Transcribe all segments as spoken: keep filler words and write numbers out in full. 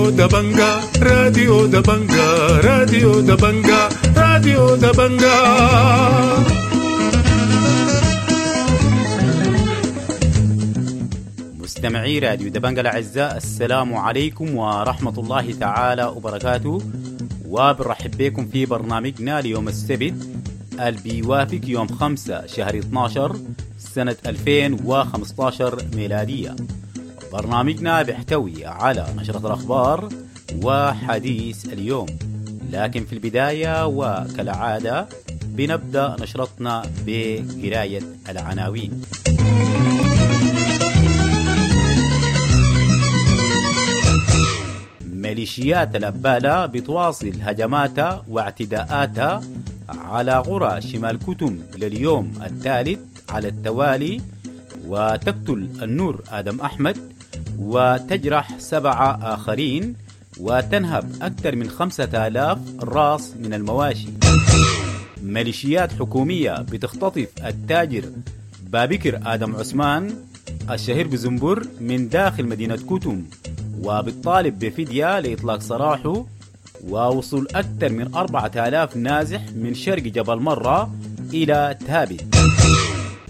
راديو دبنجا راديو دبنجا راديو دبنجا راديو دبنجا. مستمعي راديو دبنجا الأعزاء، السلام عليكم ورحمة الله تعالى وبركاته، وبرحب بكم في برنامجنا ليوم السبت اللي بيوافق يوم خمسة شهر اثناشر سنة ألفين وخمستاشر ميلادية. برنامجنا بيحتوي على نشرة الأخبار وحديث اليوم، لكن في البداية وكالعادة بنبدأ نشرتنا بقراية العناوين. ميليشيات الأبالة بتواصل هجماتها واعتداءاتها على قرى شمال كتم لليوم الثالث على التوالي، وتقتل النور آدم أحمد وتجرح سبعة آخرين وتنهب أكثر من خمسة آلاف راس من المواشي. ميليشيات حكومية بتختطف التاجر بابكر آدم عثمان الشهير بزنبر من داخل مدينة كتم، وبالطالب بفدية لإطلاق سراحه، ووصول أكثر من أربعة آلاف نازح من شرق جبل مرة إلى ثابت.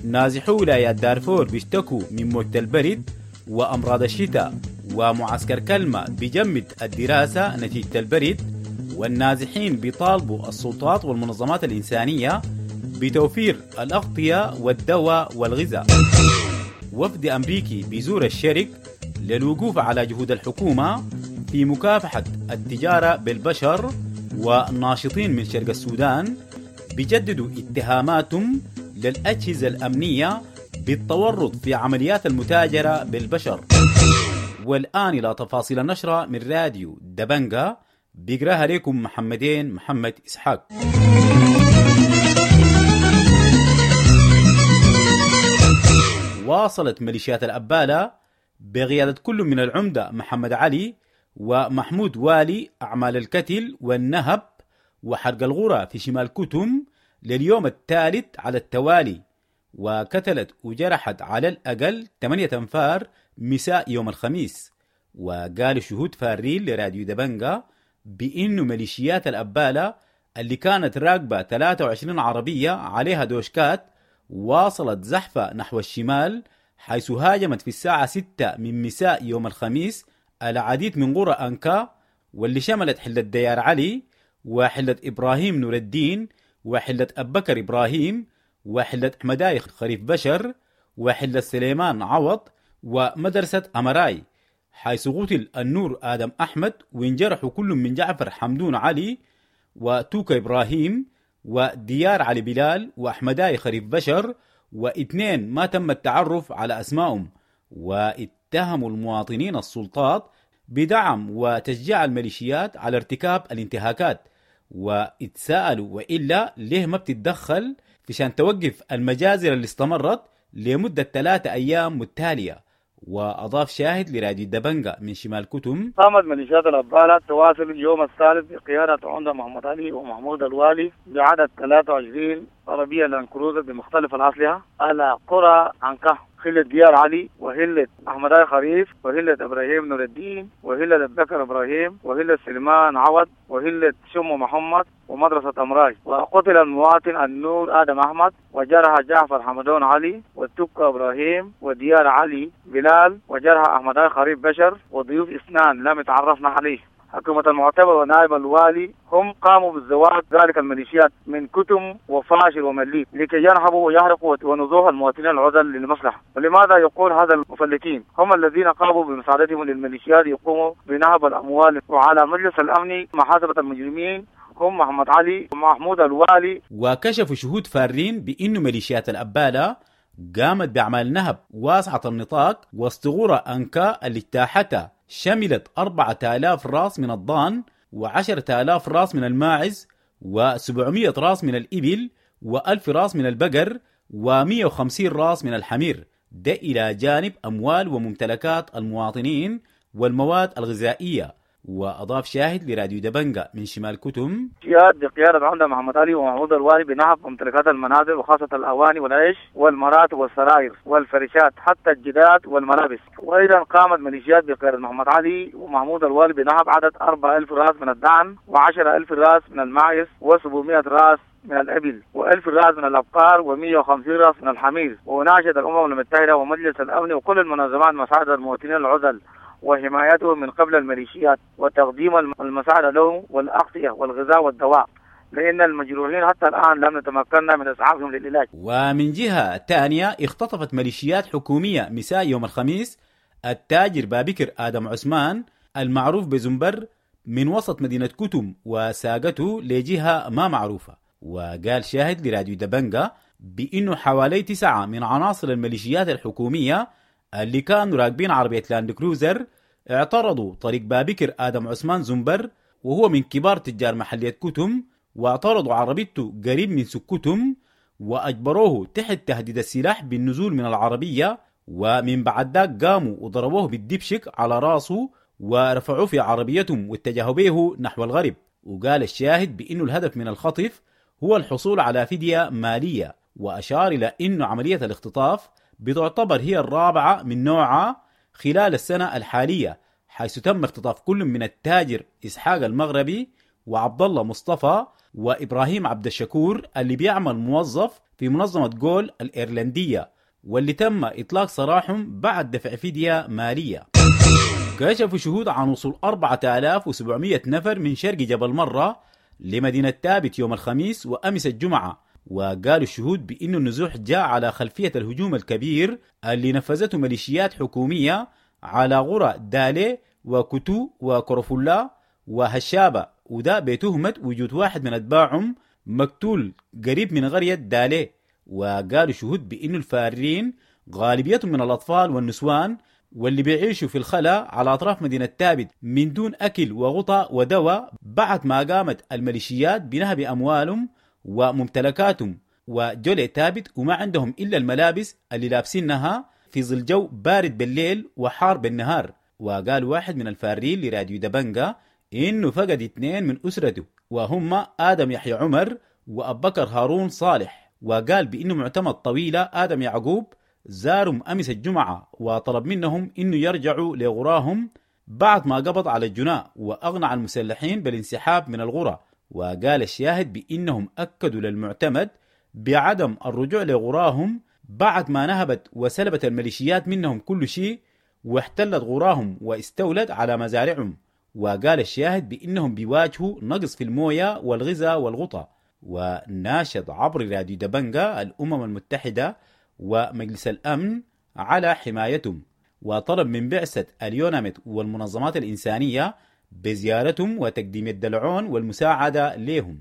نازحو ولايات دارفور بيشتكوا من موجة البرد وأمراض الشتاء، ومعسكر كلمة بيجمد الدراسة نتيجة البرد، والنازحين بيطالبوا السلطات والمنظمات الإنسانية بتوفير الأغطية والدواء والغذاء. وفد أمريكي بيزور الشرق للوقوف على جهود الحكومة في مكافحة التجارة بالبشر، والناشطين من شرق السودان بيجددوا اتهاماتهم للأجهزة الأمنية بالتورط في عمليات المتاجرة بالبشر. والآن إلى تفاصيل النشرة من راديو دبنجا، بيقراها لكم محمدين محمد إسحاق. واصلت ميليشيات الأبالة بقيادة كل من العمدة محمد علي ومحمود والي أعمال القتل والنهب وحرق الغرى في شمال كتم لليوم الثالث على التوالي، وقتلت وجرحت على الأقل ثمانية أنفار مساء يوم الخميس. وقال شهود فارين لراديو دبنجا بأنه ميليشيات الأبالة اللي كانت راكبة ثلاثة وعشرين عربية عليها دوشكات واصلت زحفة نحو الشمال، حيث هاجمت في الساعة ستة من مساء يوم الخميس العديد من قرى أنكا، واللي شملت حلة ديار علي وحلة إبراهيم نور الدين وحلة أبكر إبراهيم وحلة أحمداي خريف بشر وحلة سليمان عوض ومدرسة أمراي، حيث قتل النور آدم أحمد وانجرحوا كل من جعفر حمدون علي وتوكا إبراهيم وديار علي بلال وأحمداي خريف بشر واثنين ما تم التعرف على أسمائهم. واتهموا المواطنين السلطات بدعم وتشجيع الميليشيات على ارتكاب الانتهاكات، واتساءلوا وإلا ليه ما بتتدخل عشان توقف المجازر اللي استمرت لمدة ثلاثة أيام متتالية. وأضاف شاهد لراديو دبنجا من شمال كتم: قامت ميليشيات الأبالة تواصل اليوم الثالث بقيادة عمدة محمد علي ومحمود الوالي بعدد ثلاثة وعشرين عربية لاند كروزر بمختلف الأسلحة على قرى عنكة، هلة ديار علي وهلة أحمد خريف وهلة إبراهيم نور الدين وهلة بكر إبراهيم وهلة سليمان عوض وهلة شمو محمد ومدرسة أمراج. وقتل المواطن النور آدم أحمد وجرح جعفر حمدون علي والتكة إبراهيم وديار علي بلال وجرح أحمد خريف بشر وضيوف اثنان لم يتعرفنا عليه. حكومة المعتبر ونائب الوالي هم قاموا بالزواج ذلك الميليشيات من كتم وفاشل ومليك لكي ينهبوا ويحرقوا ونزوح المواطنين العزل للمصلحة. ولماذا يقول هذا المفلتين؟ هم الذين قاموا بمساعدتهم للميليشيات يقوموا بنهب الأموال. وعلى مجلس الأمن محاسبة المجرمين هم محمد علي ومحمود الوالي. وكشفوا شهود فارين بأن ميليشيات الأبالة قامت بأعمال نهب واسعة النطاق وسط قرى أنكا اللي اجتاحتها شملت أربعة آلاف راس من الضان وعشرة آلاف راس من الماعز وسبعمية راس من الإبل وألف راس من البقر ومية وخمسين راس من الحمير، ده إلى جانب أموال وممتلكات المواطنين والمواد الغذائية. وأضاف شاهد لراديو دبنجة من شمال كتم: ميليشيات بقيادة عمدة محمد علي ومحمود الوالي بنهب ممتلكات المنازل وخاصة الأواني والعيش والمراتب والسراير والفرشات حتى الجداد والملابس. وأيضا قامت ميليشيات بقيادة محمد علي ومحمود الوالي بنهب عدد أربعة آلاف رأس من الدعم وعشرة آلاف رأس من الماعز وسبعمائة رأس من الأبل وألف رأس من الأبقار ومئة وخمسين رأس من الحمير. وناشد الأمم المتحدة ومجلس الأمن وكل المنظمات مساعدة المواطنين العزل وحمايتهم من قبل الميليشيات وتقديم المساعدة لهم والأغطية والغذاء والدواء، لأن المجروحين حتى الآن لم نتمكن من إسعافهم للعلاج. ومن جهة ثانية اختطفت ميليشيات حكومية مساء يوم الخميس التاجر بابكر آدم عثمان المعروف بزنبر من وسط مدينة كتم وساقته لجهة ما معروفة. وقال شاهد لراديو دبنجة بأنه حوالي تسعة من عناصر الميليشيات الحكومية اللي كانوا راكبين عربية لاند كروزر اعترضوا طريق بابكر آدم عثمان زنبر، وهو من كبار تجار محلية كتم، واعترضوا عربيته قريب من سوق كتم وأجبروه تحت تهديد السلاح بالنزول من العربية، ومن بعد ذاك قاموا وضربوه بالدبشك على راسه ورفعوه في عربيتهم واتجهوا به نحو الغرب. وقال الشاهد بأنه الهدف من الخطف هو الحصول على فدية مالية، وأشار إلى أنه عملية الاختطاف بتعتبر هي الرابعة من نوعها خلال السنة الحالية، حيث تم اختطاف كل من التاجر إسحاق المغربي وعبد الله مصطفى وإبراهيم عبد الشكور اللي بيعمل موظف في منظمة جول الإيرلندية، واللي تم إطلاق سراحهم بعد دفع فدية مالية. كشفوا شهود عن وصول أربعة آلاف وسبعمائة نفر من شرق جبل مرة لمدينة تابت يوم الخميس وأمس الجمعة، وقالوا الشهود بأن النزوح جاء على خلفية الهجوم الكبير اللي نفذته ميليشيات حكومية على غرى دالي وكتو وكرفولا وهشابة، وده بتهمة وجود واحد من أتباعهم مقتول قريب من قرية دالي. وقالوا الشهود بأن الفارين غالبيتهم من الأطفال والنسوان واللي بيعيشوا في الخلا على أطراف مدينة تابت من دون أكل وغطاء ودواء بعد ما قامت الميليشيات بنهب أموالهم وممتلكاتهم وجولي تابت، وما عندهم إلا الملابس اللي لابسينها في ظل جو بارد بالليل وحار بالنهار. وقال واحد من الفارين لراديو دبنجة إنه فقد اثنين من أسرته وهم آدم يحيى عمر وأبكر هارون صالح، وقال بإنه معتمد طويلة آدم يعقوب زارهم أمس الجمعة وطلب منهم إنه يرجعوا لغراهم بعد ما قبض على الجناء وأغنع المسلحين بالانسحاب من الغرى. وقال الشاهد بإنهم أكدوا للمعتمد بعدم الرجوع لغراهم بعد ما نهبت وسلبت الميليشيات منهم كل شيء واحتلت غراهم واستولت على مزارعهم. وقال الشاهد بإنهم بيواجهوا نقص في الموية والغذاء والغطاء. وناشد عبر راديو دبنجة الأمم المتحدة ومجلس الأمن على حمايتهم، وطلب من بعثة اليوناميد والمنظمات الإنسانية بزيارتهم وتقديم الدلعون والمساعدة لهم.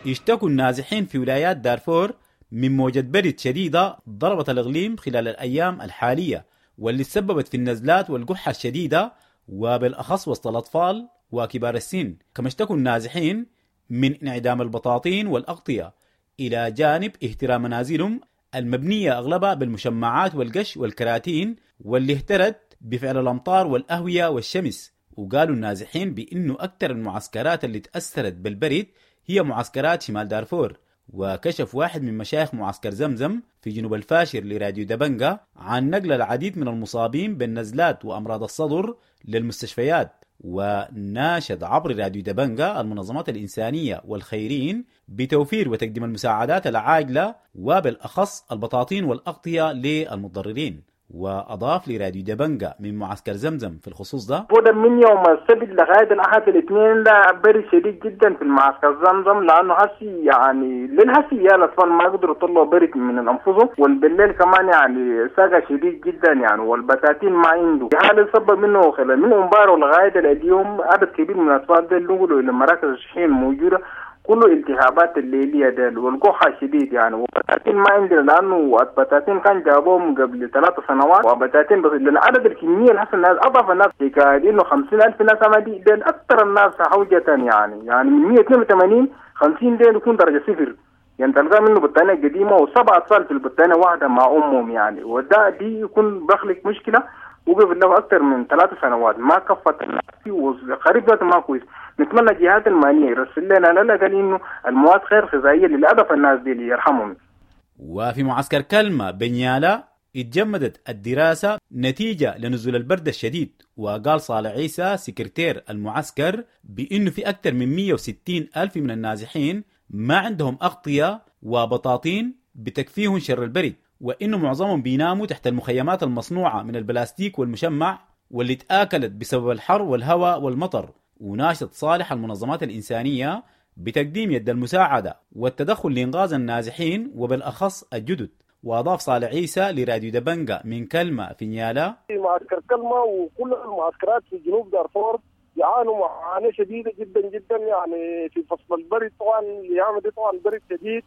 اشتكوا النازحين في ولايات دارفور من موجة برد شديدة ضربت الإقليم خلال الأيام الحالية، واللي سببت في النزلات والقحة الشديدة وبالأخص وسط الأطفال وكبار السن. كما اشتكوا النازحين من انعدام البطاطين والأغطية، إلى جانب اهتراء منازلهم المبنية أغلبها بالمشمعات والقش والكراتين واللي اهترت بفعل الأمطار والأهوية والشمس. وقالوا النازحين بأنه أكثر المعسكرات اللي تأثرت بالبرد هي معسكرات شمال دارفور. وكشف واحد من مشايخ معسكر زمزم في جنوب الفاشر لراديو دبنجة عن نقل العديد من المصابين بالنزلات وأمراض الصدر للمستشفيات. وناشد عبر راديو دبنجة المنظمات الإنسانية والخيرين بتوفير وتقديم المساعدات العاجلة وبالأخص البطاطين والأغطية للمتضررين. وأضاف لراديو دبنجة من معسكر زمزم في الخصوص ده: بودا من يوم السبت لغاية الأحد الاثنين ده برد شديد جدا في المعسكر زمزم، لأنه هسي يعني للهسي يا الأطفال ما قدروا يطلعوا برد من أنفسهم، وبالليل كمان يعني ساقة شديد جدا يعني، والبساتين ما عنده. هذا سبب منه خلال من امبارح لغاية اليوم عدد كبير من الأطفال ده نقلوا إلى مراكز الصحية الموجودة، كله التهابات الليلية ده والقحة شديد يعني. وبتاتين ما عندنا لأنه البتاتين كان جابوهم قبل ثلاث سنوات، وبتاتين بس لأن عدد الكمية اللي حصل الناس أضعف الناس في إنه خمسين ألف ناس ما دي ده أكثر الناس حوجة يعني يعني من مية واثنين وثمانين خمسين ده يكون درجة صفر يعني، تلقى منه بطانية قديمة وسبع أطفال في البطانية واحدة مع أمهم يعني، وده دي يكون بخلق مشكلة. وقف له أكثر من ثلاث سنوات ما كفت الناس، وخريف ذاته ما كويس. نتمنى الجهات المعنية يرسل لنا على الأقل إنه المواد غير غذائية للأدف الناس دي اللي يرحمهم. وفي معسكر كلمة بنيالا اتجمدت الدراسة نتيجة لنزول البرد الشديد، وقال صالح عيسى سكرتير المعسكر بأنه في أكثر من مئة وستين ألف من النازحين ما عندهم أغطية وبطاطين بتكفيهم شر البرد، وإنه معظمهم بيناموا تحت المخيمات المصنوعة من البلاستيك والمشمع واللي تآكلت بسبب الحر والهواء والمطر. وناشط صالح المنظمات الإنسانية بتقديم يد المساعدة والتدخل لإنقاذ النازحين وبالأخص الجدد. وأضاف صالح عيسى لراديو دبنجا من كلمة في نيالا: في معسكر كلمة وكل المعسكرات في جنوب دارفور يعانوا معاناة شديدة جدا جدا، يعني في فصل البرد طبعا الأيام دي طبعا برد شديد،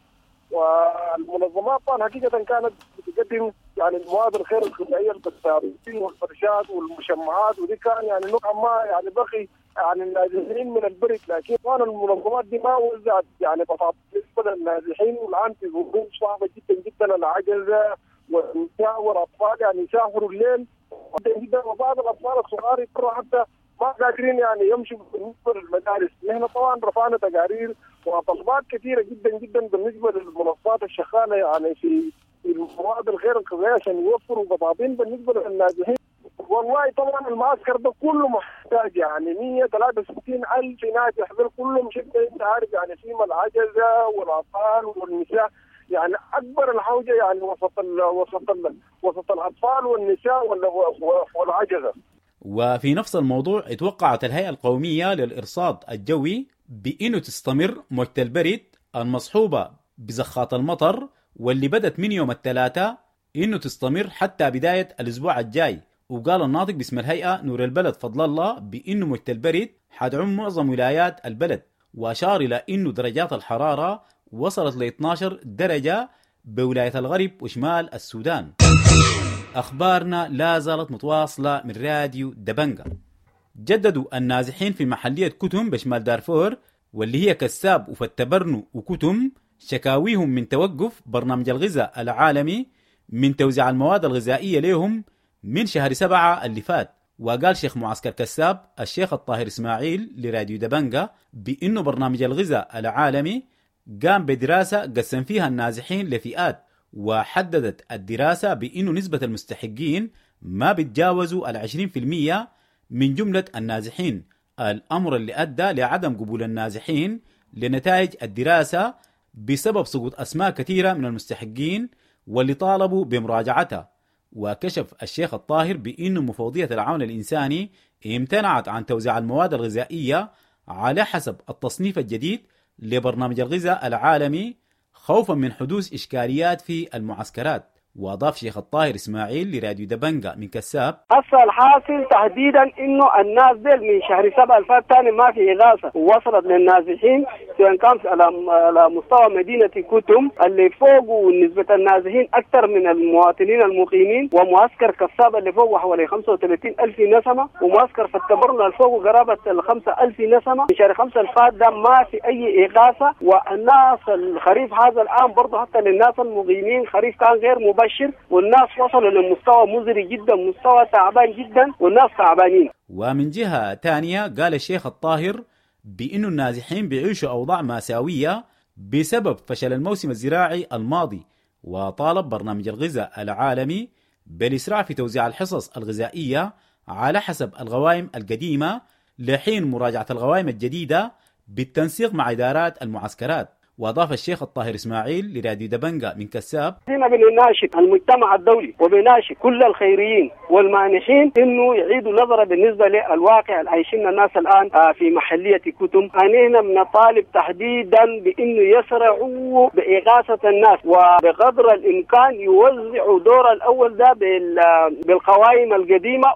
والمنظمات طبعا حقيقة كانت بتقدم يعني المواد الخير الغذائية البطاريين والفرشات والمشمعات، ودي كان يعني نوعا ما يعني بقي يعني النازحين من البرد، لكن طبعا المنظمات دي ما وزعت يعني بطاطس بالنسبة للنازحين، والآن في ظروف صعبة جدا جدا، العجزة والنساء والأطفال يعني يسافروا الليل جدا جدا، وبعض الأطفال الصغار يضطروا حتى ما قادرين يعني يمشوا بالنسبة للمدارس. نحن طبعا رفعنا تقارير وطلبات كثيرة جدا جدا بالنسبة للمنظمات الشغالة يعني في المواد الغير الغذائية عشان يوفروا بطاطين بالنسبة للنازحين. والله طبعا المعسكر ده كله محتاج يعني مئة وثلاثة وستين ألف نازح، دول كلهم شبه انت عارف يعني فيما العجزة والأطفال والنساء، يعني أكبر الحوجة يعني وسط ال وسط ال وسط الأطفال والنساء والعجزة. وفي نفس الموضوع اتوقعت الهيئة القومية للإرصاد الجوي بأنه تستمر موجة البرد المصحوبة بزخات المطر واللي بدت من يوم الثلاثاء إنه تستمر حتى بداية الأسبوع الجاي. وقال الناطق باسم الهيئة نور البلد فضل الله بأنه موجة البرد حتعم معظم ولايات البلد، وأشار إلى أنه درجات الحرارة وصلت ل اثني عشر درجة بولاية الغرب وشمال السودان. أخبارنا لا زالت متواصلة من راديو دبنجا. جددوا النازحين في محلية كتم بشمال دارفور واللي هي كساب وفتبرنو وكتم شكاويهم من توقف برنامج الغذاء العالمي من توزيع المواد الغذائية لهم من شهر سبعة اللي فات. وقال شيخ معسكر كساب الشيخ الطاهر إسماعيل لراديو دبنجا بأنه برنامج الغذاء العالمي قام بدراسة قسم فيها النازحين لفئات، وحددت الدراسة بأنه نسبة المستحقين ما بتجاوزوا العشرين في المية من جملة النازحين، الأمر اللي أدى لعدم قبول النازحين لنتائج الدراسة بسبب سقوط أسماء كثيرة من المستحقين واللي طالبوا بمراجعتها. وكشف الشيخ الطاهر بأنه مفوضية العون الإنساني امتنعت عن توزيع المواد الغذائية على حسب التصنيف الجديد لبرنامج الغذاء العالمي خوفا من حدوث إشكاليات في المعسكرات. وأضاف شيخ الطاهر إسماعيل لراديو دبنجا من كساب: هسه الحاصل تحديدا إنه الناس ديل من شهر سبعة الفات تاني ما في إغاثة وصلت للنازحين، سواء كان على مستوى مدينة كتم اللي فوق نسبة النازحين أكثر من المواطنين المقيمين، ومعسكر كساب اللي فوق حوالي خمسة وثلاثين ألف نسمة، ومعسكر فتبرنا اللي فوق قرابة الخمسة ألف نسمة. من شهر خمسة الفات ده ما في أي إغاثة، والناس الخريف هذا العام برضه حتى للناس المقيمين خريف كان غير مباشر، والناس وصلوا لمستوى مزري جدا، مستوى تعبان جدا، والناس تعبانين. ومن جهة تانية قال الشيخ الطاهر بأنه النازحين بيعيشوا أوضاع مأساوية بسبب فشل الموسم الزراعي الماضي، وطالب برنامج الغذاء العالمي بالإسراع في توزيع الحصص الغذائية على حسب الغوائم القديمة لحين مراجعة الغوائم الجديدة بالتنسيق مع إدارات المعسكرات. وأضاف الشيخ الطاهر إسماعيل لراديو دبنجا من كساب: هنا بنناشد المجتمع الدولي وبناشد كل الخيريين والمانحين إنه يعيدوا نظرة بالنسبة للواقع اللي عايشين الناس الآن في محلية كتم. أنا بنطالب تحديدا بإنه يسرعوا بإغاثة الناس وبقدر الإمكان يوزعوا دور الأول ده بالقوائم القديمة.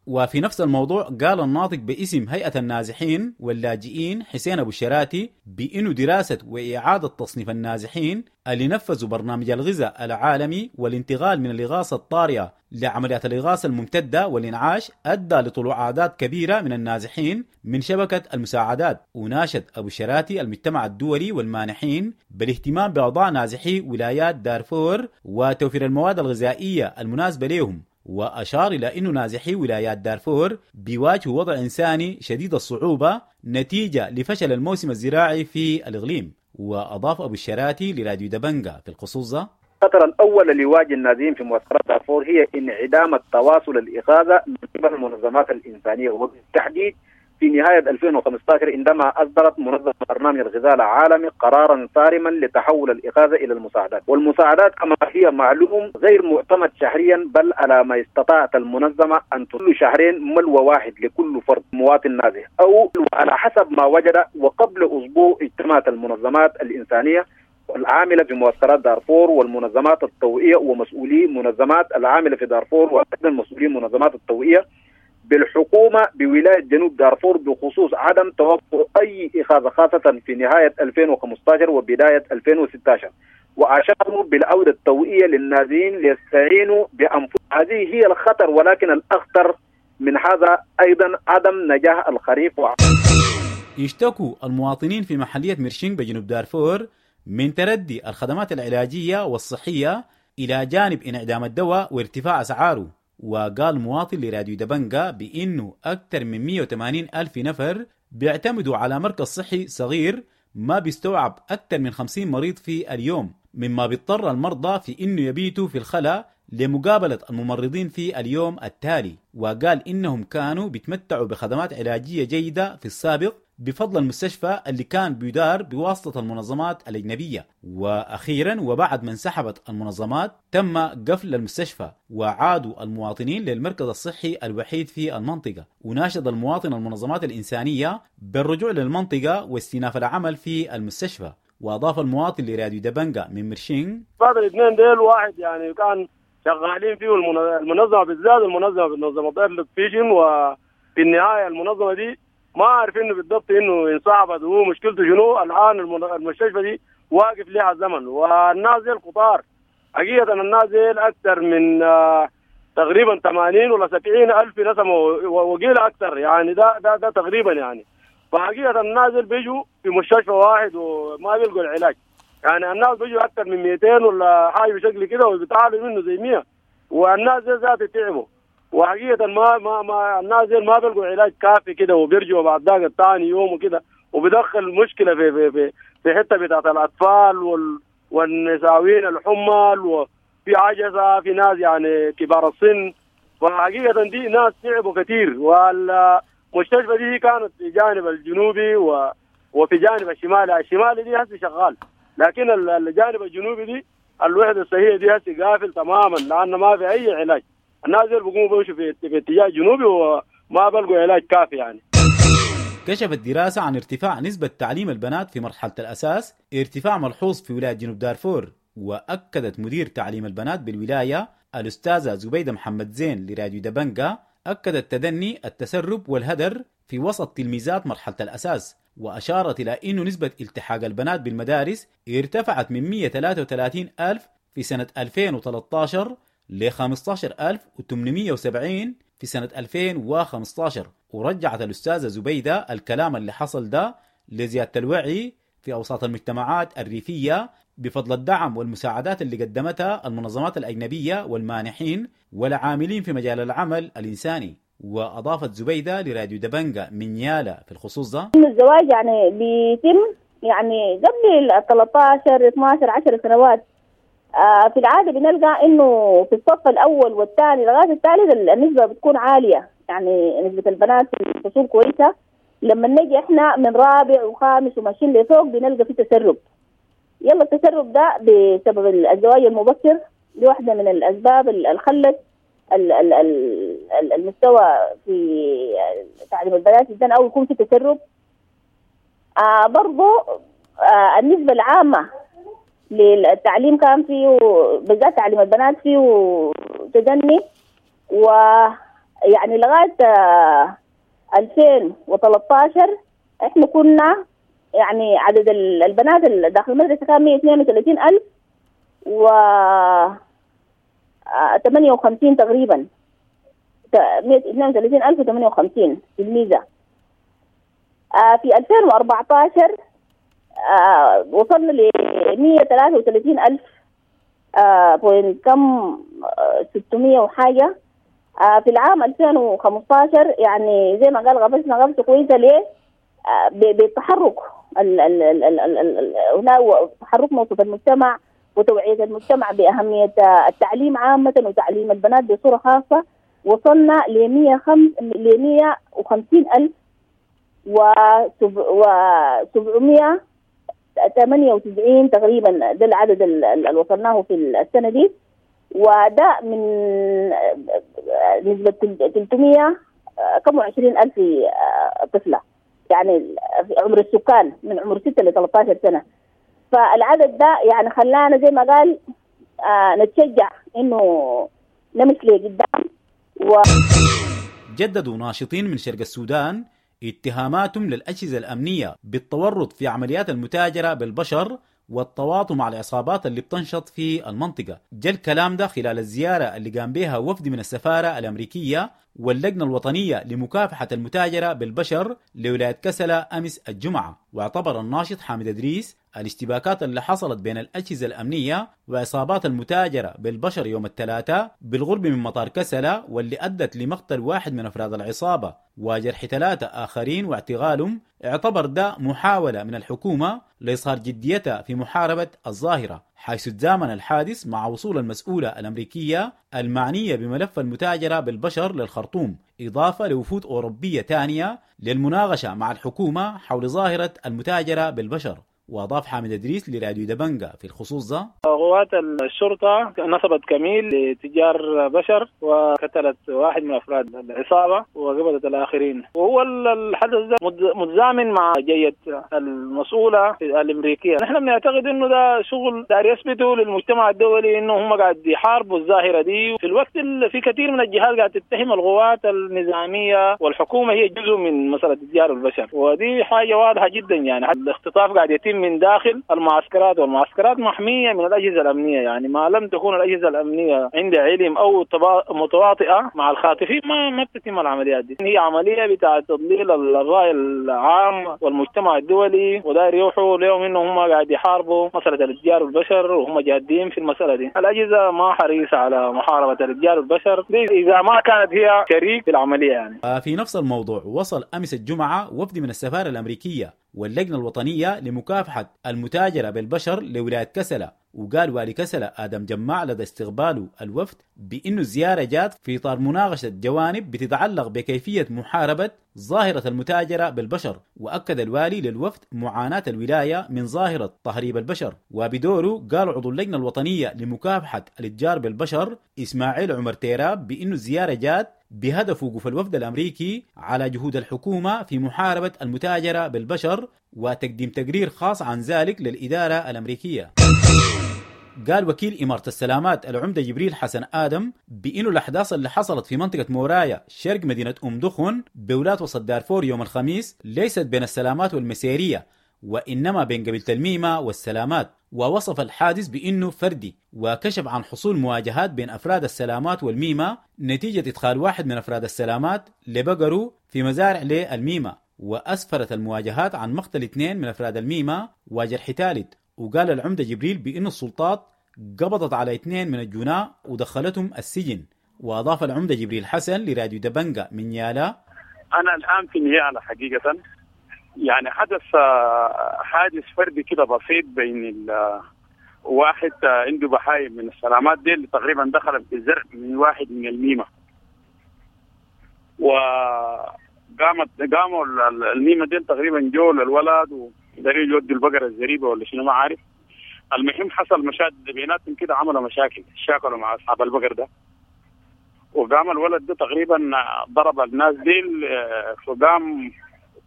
وفي نفس الموضوع قال الناطق باسم هيئة النازحين واللاجئين حسين أبو الشراتي بأنه دراسة وإعادة تصنيف النازحين اللي نفذوا برنامج الغذاء العالمي والانتقال من الإغاثة الطارئة لعمليات الإغاثة الممتدة والإنعاش أدى لطلوع أعداد كبيرة من النازحين من شبكة المساعدات. وناشد أبو الشراتي المجتمع الدولي والمانحين بالاهتمام بأوضاع نازحي ولايات دارفور وتوفير المواد الغذائية المناسبة لهم. وأشار إلى أنه نازحي ولايات دارفور بيواجهوا وضع إنساني شديد الصعوبة نتيجة لفشل الموسم الزراعي في الإقليم. وأضاف أبو الشراتي لراديو دبنجا في الخصوص ده: الخطر الأول اللي يواجه النازحين في معسكرات دارفور هي انعدام التواصل الإغاثة من قبل المنظمات الإنسانية، وبالتحديد في نهاية ألفين وخمسة عشر عندما أصدرت منظمة برنامج الغذاء العالمي قرارا صارما لتحول الإغاثة إلى المساعدات، والمساعدات كما هي معلوم غير معتمد شهريا، بل على ما استطاعت المنظمة أن كل شهرين ملوى واحد لكل فرد مواطن نازح أو على حسب ما وجد. وقبل أسبوع اجتمعت المنظمات الإنسانية العاملة في معسكرات دارفور والمنظمات الطوعية ومسؤولي منظمات العاملة في دارفور وأيضا مسؤولي منظمات الطوعية بالحكومة بولاية جنوب دارفور بخصوص عدم توفر أي إغاثة خاصة في نهاية ألفين وخمسة عشر وبداية ألفين وستة عشر، وأشاروا بالعودة الطوعية للنازحين ليستعينوا بأنفسهم. هذه هي الخطر، ولكن الأخطر من هذا أيضا عدم نجاح الخريف. يشتكوا المواطنين في محلية مرشين بجنوب دارفور من تردي الخدمات العلاجية والصحية إلى جانب انعدام الدواء وارتفاع أسعاره. وقال مواطن لراديو دبنجا بأنه أكثر من مئة وثمانين ألف نفر بيعتمدوا على مركز صحي صغير ما بيستوعب أكثر من خمسين مريض في اليوم، مما بيضطر المرضى في أنه يبيتوا في الخلاء لمقابلة الممرضين في اليوم التالي. وقال إنهم كانوا بيتمتعوا بخدمات علاجية جيدة في السابق بفضل المستشفى اللي كان بيدار بواسطة المنظمات الأجنبية. وأخيرا وبعد ما انسحبت المنظمات تم قفل المستشفى وعادوا المواطنين للمركز الصحي الوحيد في المنطقة. وناشد المواطن المنظمات الإنسانية بالرجوع للمنطقة واستئناف العمل في المستشفى. وأضاف المواطن لراديو دبنجا من مرشين: بعد الاثنين ديل واحد يعني كان شغالين فيه المنظمة بالذات، المنظمة بالنظمة فيجن، وفي النهاية المنظمة دي ما عارفين بالضبط انه انصعبت وهو مشكلته شنو. الان المستشفى دي واقف لها زمن، والناس دي القطار حقيقه الناس دي اكثر من تقريبا ثمانين ولا سبعين الف نسمه وقيل اكثر، يعني ده ده ده تقريبا يعني. فحقيقه الناس دي بيجوا في مستشفى واحد وما بيلقوا العلاج، يعني الناس بيجوا اكثر من مئتين ولا حاجه بشكل كده وبيتعالوا منه زي مئة، والناس دي ذات تعبوا. وحقيقة ما ما ما الناس ما بيلقوا علاج كافي كده، وبيرجعوا بعد ذاك ثاني يوم وكده، وبيدخل مشكلة في في في في حتة بتاعت الأطفال وال والنساوين الحمل، وفي عجزة، في ناس يعني كبار السن. فحقيقة دي ناس تعبوا كثير. والمستشفى دي كانت في جانب الجنوبي و وفي جانب الشمالي، الشمالي دي هسه شغال، لكن الجانب الجنوبي دي الوحدة الصحية دي هسه قافل تماما، لأنه ما في أي علاج. الناس بيقوموا بيمشوا في اتجاه جنوبي وما بلقوا علاج كافي يعني. كشفت دراسة عن ارتفاع نسبة تعليم البنات في مرحلة الأساس ارتفاع ملحوظ في ولاية جنوب دارفور. وأكدت مدير تعليم البنات بالولاية الأستاذة زبيدة محمد زين لراديو دبنجا أكدت تدني التسرب والهدر في وسط تلميذات مرحلة الأساس، وأشارت إلى أن نسبة التحاق البنات بالمدارس ارتفعت من مئة وثلاثة وثلاثين ألف في سنة ألفين وثلاثة عشر ل خمسة عشر ألف وثمانمئة وسبعين في سنة ألفين وخمسة عشر. ورجعت الأستاذة زبيدة الكلام اللي حصل ده لزيادة الوعي في أوساط المجتمعات الريفية بفضل الدعم والمساعدات اللي قدمتها المنظمات الأجنبية والمانحين والعاملين في مجال العمل الإنساني. وأضافت زبيدة لراديو دبنجا من يالا في الخصوص ده: الزواج يعني بيتم يعني قبل ثلاثة عشر اثنا عشر عشر سنوات. في العادة بنلقى إنه في الصف الأول والثاني لغاية الثالث النسبة بتكون عالية، يعني نسبة البنات في الفصول كويسة. لما نجي إحنا من رابع وخامس وماشيين لفوق بنلقى في تسرب. يلا التسرب ده بسبب الزواج المبكر، دي واحدة من الأسباب اللي خلت المستوى في تعليم البنات جدا أو يكون في تسرب. آه برضو آه النسبة العامة للتعليم كان فيه بالذات تعليم البنات فيه تدني، ويعني لغاية ألفين وثلاثة عشر احنا كنا يعني عدد البنات اللي داخل المدرسة كان مئة واثنين وثلاثين ألف و ثمانية وخمسين تقريبا، مئة واثنين وثلاثين ألف وثمانية وخمسين تلميذة. في ألفين وأربعة عشر آه وصلنا ل مئة وثلاثة وثلاثين ألف آه بوينت كم آه ستمية وحاجة. في العام ألفين وخمستاشر يعني زي ما قال غفزنا غفزة كويسة ليه؟ بالتحرك ال ال ال ال ال هنا تحركنا وسط المجتمع وتوعية المجتمع بأهمية التعليم عامة وتعليم البنات بصورة خاصة. وصلنا ل مية وخمسين ألف وسبعمية ثمانية وتسعين تقريبا، ده العدد اللي وصلناه في السنة دي، وده من نسبة ثلاثمية كم وعشرين ألف طفلة، يعني عمر السكان من عمر ستة ل ثلاثة عشر سنة. فالعدد ده يعني خلانا زي ما قال نتشجع إنه نمشي لقدام. و جددوا ناشطين من شرق السودان اتهاماتهم للأجهزة الأمنية بالتورط في عمليات المتاجرة بالبشر والتواطؤ مع العصابات اللي بتنشط في المنطقة. جاء الكلام ده خلال الزيارة اللي قام بها وفد من السفارة الأمريكية واللجنة الوطنية لمكافحة المتاجرة بالبشر لولاية كسلة أمس الجمعة. واعتبر الناشط حامد إدريس الاشتباكات اللي حصلت بين الأجهزة الأمنية وعصابات المتاجرة بالبشر يوم الثلاثاء بالغرب من مطار كسلة، واللي أدت لمقتل واحد من أفراد العصابة وجرح ثلاثة آخرين واعتقالهم، اعتبر ده محاولة من الحكومة لإظهار جديتها في محاربة الظاهرة، حيث تزامن الحادث مع وصول المسؤولة الأمريكية المعنية بملف المتاجرة بالبشر للخرطوم، إضافة لوفود أوروبية تانية للمناقشة مع الحكومة حول ظاهرة المتاجرة بالبشر. وأضاف حامد إدريس لراديو دبنجة في الخصوص ده: قوات الشرطة نصبت كميل لتجار بشر وقتلت واحد من أفراد العصابة وقبضت الآخرين، وهو الحدث ده متزامن مع جية المسؤولة الأمريكية. نحن بنعتقد إنه ده شغل دار يثبته للمجتمع الدولي إنه هم قاعد يحاربوا الظاهرة دي، في الوقت اللي في كثير من الجهات قاعد تتهم القوات النظامية والحكومة هي جزء من مسألة تجار البشر، ودي حاجة واضحة جدا. يعني الاختطاف قاعد يتم من داخل المعسكرات، والمعسكرات محمية من الأجهزة الأمنية، يعني ما لم تكون الأجهزة الأمنية عندها علم أو متواطئة مع الخاطفين ما ما بتتم العمليات دي. هي عملية بتاع تضليل الرأي العام والمجتمع الدولي، وداير يوحوا لهم إنه هم قاعد يحاربوا مسألة الاتجار والبشر وهم جادين في المسألة دي. الأجهزة ما حريصة على محاربة الاتجار والبشر دي إذا ما كانت هي شريك في العملية يعني. في نفس الموضوع، وصل أمس الجمعة وفد من السفارة الأمريكية واللجنة الوطنية لمكافحة المتاجرة بالبشر لولاية كسلة، وقال والي كسلة آدم جماع لدى استقباله الوفد بأنه الزيارة جات في إطار مناقشة جوانب بتتعلق بكيفية محاربة ظاهرة المتاجرة بالبشر. وأكد الوالي للوفد معاناة الولاية من ظاهرة تهريب البشر. وبدوره قال عضو اللجنة الوطنية لمكافحة الاتجار بالبشر إسماعيل عمر تيراب بأنه الزيارة جات بهدف وقوف الوفد الأمريكي على جهود الحكومة في محاربة المتاجرة بالبشر وتقديم تقرير خاص عن ذلك للإدارة الأمريكية. قال وكيل إمارة السلامات العمدة جبريل حسن آدم بأنه الأحداث اللي حصلت في منطقة مورايا شرق مدينة أم دخن بولاة وسط دارفور يوم الخميس ليست بين السلامات والمسيرية، وإنما بين قبيلة الميمة والسلامات. ووصف الحادث بأنه فردي، وكشف عن حصول مواجهات بين أفراد السلامات والميمة نتيجة إدخال واحد من أفراد السلامات لبقره في مزارع للميمة، وأسفرت المواجهات عن مقتل اثنين من أفراد الميمة وجرح ثالث. وقال العمدة جبريل بأن السلطات قبضت على اثنين من الجناة ودخلتهم السجن. وأضاف العمدة جبريل حسن لراديو دبنجة من نيالا: أنا الآن في نيالا حقيقة، يعني حدث حادث فردي كده بسيط بين واحد عنده بحايم من السلامات دي اللي تقريبا دخلت في الزرع من واحد من الميمة، وقامت قاموا الميمة دي تقريبا جو للولد ودارين يودوا البقرة الزريبة ولا شنو ما عارف. المهم حصل مشاد بيناتهم كده، عملوا مشاكل، شاكلوا مع أصحاب البقر ده، وقام الولد ده تقريبا ضرب الناس دي، فقام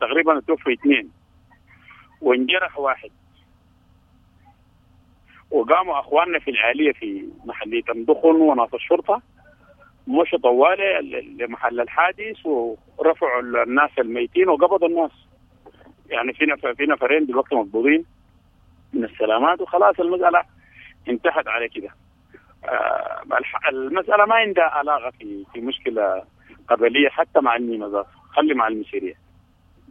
تقريبا توفي اثنين وانجرح واحد. وقاموا اخواننا في العاليه في محليه أم دخن وناس الشرطه مشوا طوالي لمحل الحادث ورفعوا الناس الميتين وقبضوا الناس. يعني في نفر في نفرين دلوقتي مقبوضين من السلامات، وخلاص المساله انتهت على كده. آه المساله ما عندها علاقه في في مشكله قبليه حتى مع الميمه ذات، خلي مع المسيريه.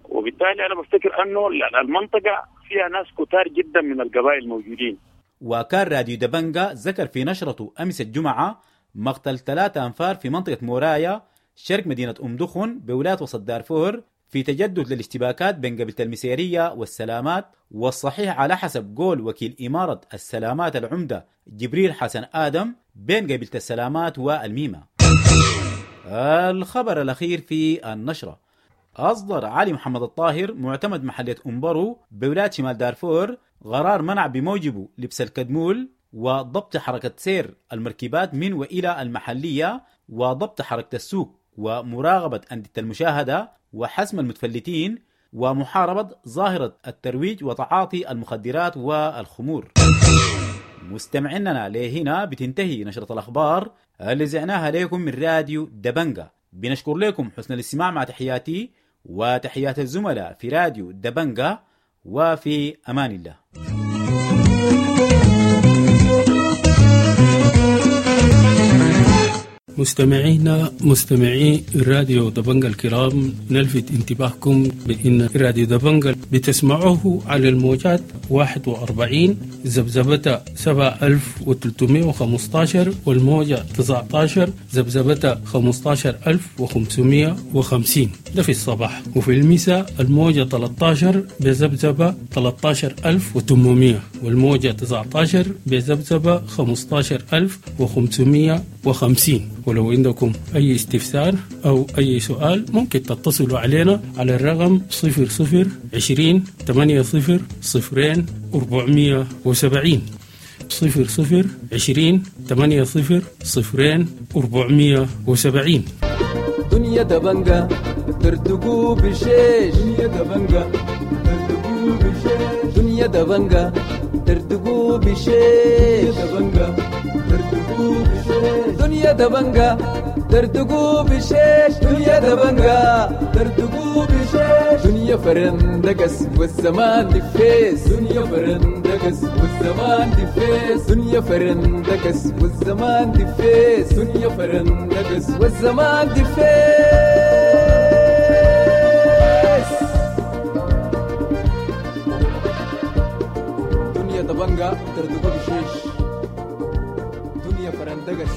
وبالتالي أنا بفتكر أنه المنطقة فيها ناس كتار جدا من القبائل موجودين. وكان راديو دبنجة ذكر في نشرته أمس الجمعة مقتل ثلاثة أنفار في منطقة مورايا شرق مدينة أم دخن بولاية وسط دارفور في تجدد للاشتباكات بين قبيلة المسيرية والسلامات، والصحيح على حسب قول وكيل إمارة السلامات العمدة جبريل حسن آدم بين قبيلة السلامات والميمة. الخبر الأخير في النشرة، أصدر علي محمد الطاهر معتمد محلية أمبرو بولاية شمال دارفور قرار منع بموجبه لبس الكدمول وضبط حركة سير المركبات من وإلى المحلية وضبط حركة السوق ومراقبة أندية المشاهدة وحسم المتفلتين ومحاربة ظاهرة الترويج وتعاطي المخدرات والخمور. مستمعيننا لهنا بتنتهي نشرة الأخبار اللي زعناها لكم من راديو دبنجا. بنشكر لكم حسن الاستماع مع تحياتي وتحيات الزملاء في راديو دبنجا، وفي أمان الله. مستمعينا مستمعي راديو دبنجا الكرام، نلفت انتباهكم بأن راديو دبنجا بتسمعوه على الموجات واحد وأربعين ذبذبة سبعة ألف وثلاثمائة وخمسة عشر والموجة تسعة عشر ذبذبة خمسة عشر ألف وخمسمائة وخمسين، ده في الصباح، وفي المساء الموجة ثلاثة عشر بذبذبة ثلاثة عشر ألف وثمانمائة والموجة تسعة عشر بذبذبة خمسة عشر ألف وخمسمائة وخمسين. ولو عندكم أي استفسار أو أي سؤال ممكن تتصلوا علينا على الرقم صفر صفر عشرين ثمانية صفر صفرين أربعمية وسبعين، صفر صفر عشرين ثمانية صفر صفرين أربعمية وسبعين. دنيا دبنجا ترتقو بشيش، دنيا دبنجا ترتقو بشيش، دنيا دبنجا ترتقو بشيش، دبنجا ترتقو بشيش، دنيا دبنجا ترتقو بشيش، دنيا دبنجا ترتقو بشيش، دنيا فرندقس والزمان دفيس، دنيا فرندقس والزمان دفيس، دنيا فرندقس والزمان دفيس، دنيا فرندقس والزمان دفيس. دنيا دبنجا ترتقو بشيش، دنيا فرندقس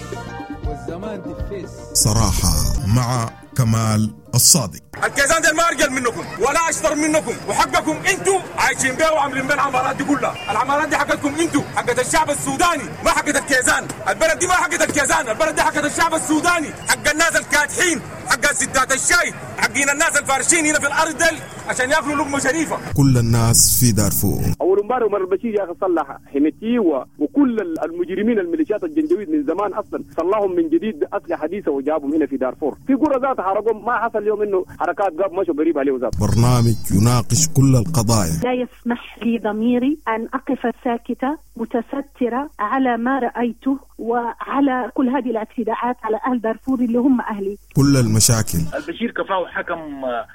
والزمان دفيس. صراحة مع كمال الصادق. الكيزان ده ما ارجل منكم ولا اشطر منكم، وحقكم انتوا عايشين بيه وعاملين بيه العمارات دي كلها. العمارات دي حقتكم انتوا، حقت الشعب السوداني، ما حقت الكيزان. البلد دي ما حقت الكيزان، البلد دي حقت الشعب السوداني، حق الناس الكادحين، حق ستات الشاي، حقين الناس الفارشين هنا في الارض دل عشان ياكلوا لقمه شريفه. كل الناس في دارفور. اول امبارح عمر البشير يا اخي صلح حميتي وكل المجرمين الميليشيات الجنجويد من زمان اصلا صلحهم من جديد باسلحه حديثه وجابهم هنا في دارفور. في قرى ذات حرقهم، ما حصل يوم انه حركات قاب مشوا قريب عليه ذات. برنامج يناقش كل القضايا. لا يسمح لي ضميري ان اقف ساكته متستره على ما رايته وعلى كل هذه الاعتداءات على اهل دارفور اللي هم اهلي. كل المشاكل. البشير كفاه حكم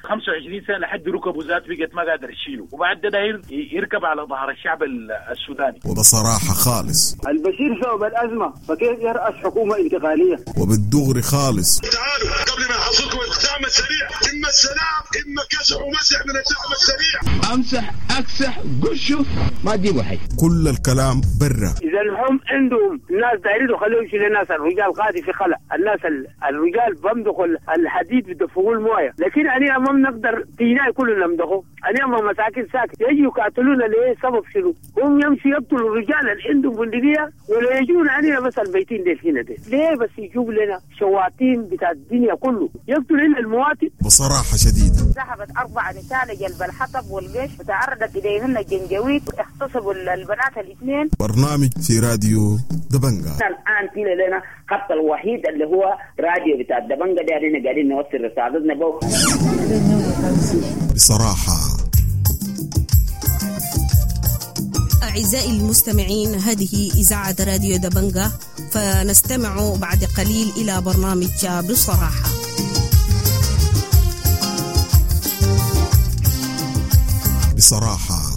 خمسة وعشرين سنه لحد ركبه ذات بقت ما قادر يشيله، وبعد ده داير يركب على ظهر الشعب السوداني. وبصراحه خالص البشير سبب الازمه، فكيف يرأس حكومه انتقاليه؟ وبالدغري خالص. تعالوا قبل ما يحصلكم الدعم السريع، اما السلام اما كسح ومسح من الدعم السريع. امسح اكسح قشه ما تجيبوا حي. كل الكلام برا. اذا هم عندهم ناس دايرين خليهم يشيلوا الناس، الرجال قاعد في خلا، الناس الرجال بمدخوا الحديد بدفقوا المويه، لكن انا ما بنقدر تينا كلنا نمدخه، انا ما مساكن ساكت يجوا يقاتلونا ليه؟ سبب شنو؟ هم يمشي يقتلوا الرجال اللي عندهم بندقيه ولا يجون علينا بس البيتين دي هنا دي، ليه بس يجيبوا لنا شواطين بتاع الدنيا كله يقتلوا لنا المواطن؟ بصراحه شديده. ذهبت اربع نساء لجلب الحطب والجيش وتعرضت اليهن الجنجويد، اغتصبوا البنات الاثنين. برنامج في راديو دبنجا. الان فينا لنا خط الوحيد اللي هو راديو بتاع الدبنجا ده، علينا قاعدين نوصل رسالتنا بو بصراحة. أعزائي المستمعين، هذه إذاعة راديو دبنجا، فنستمع بعد قليل إلى برنامج بصراحة. بصراحة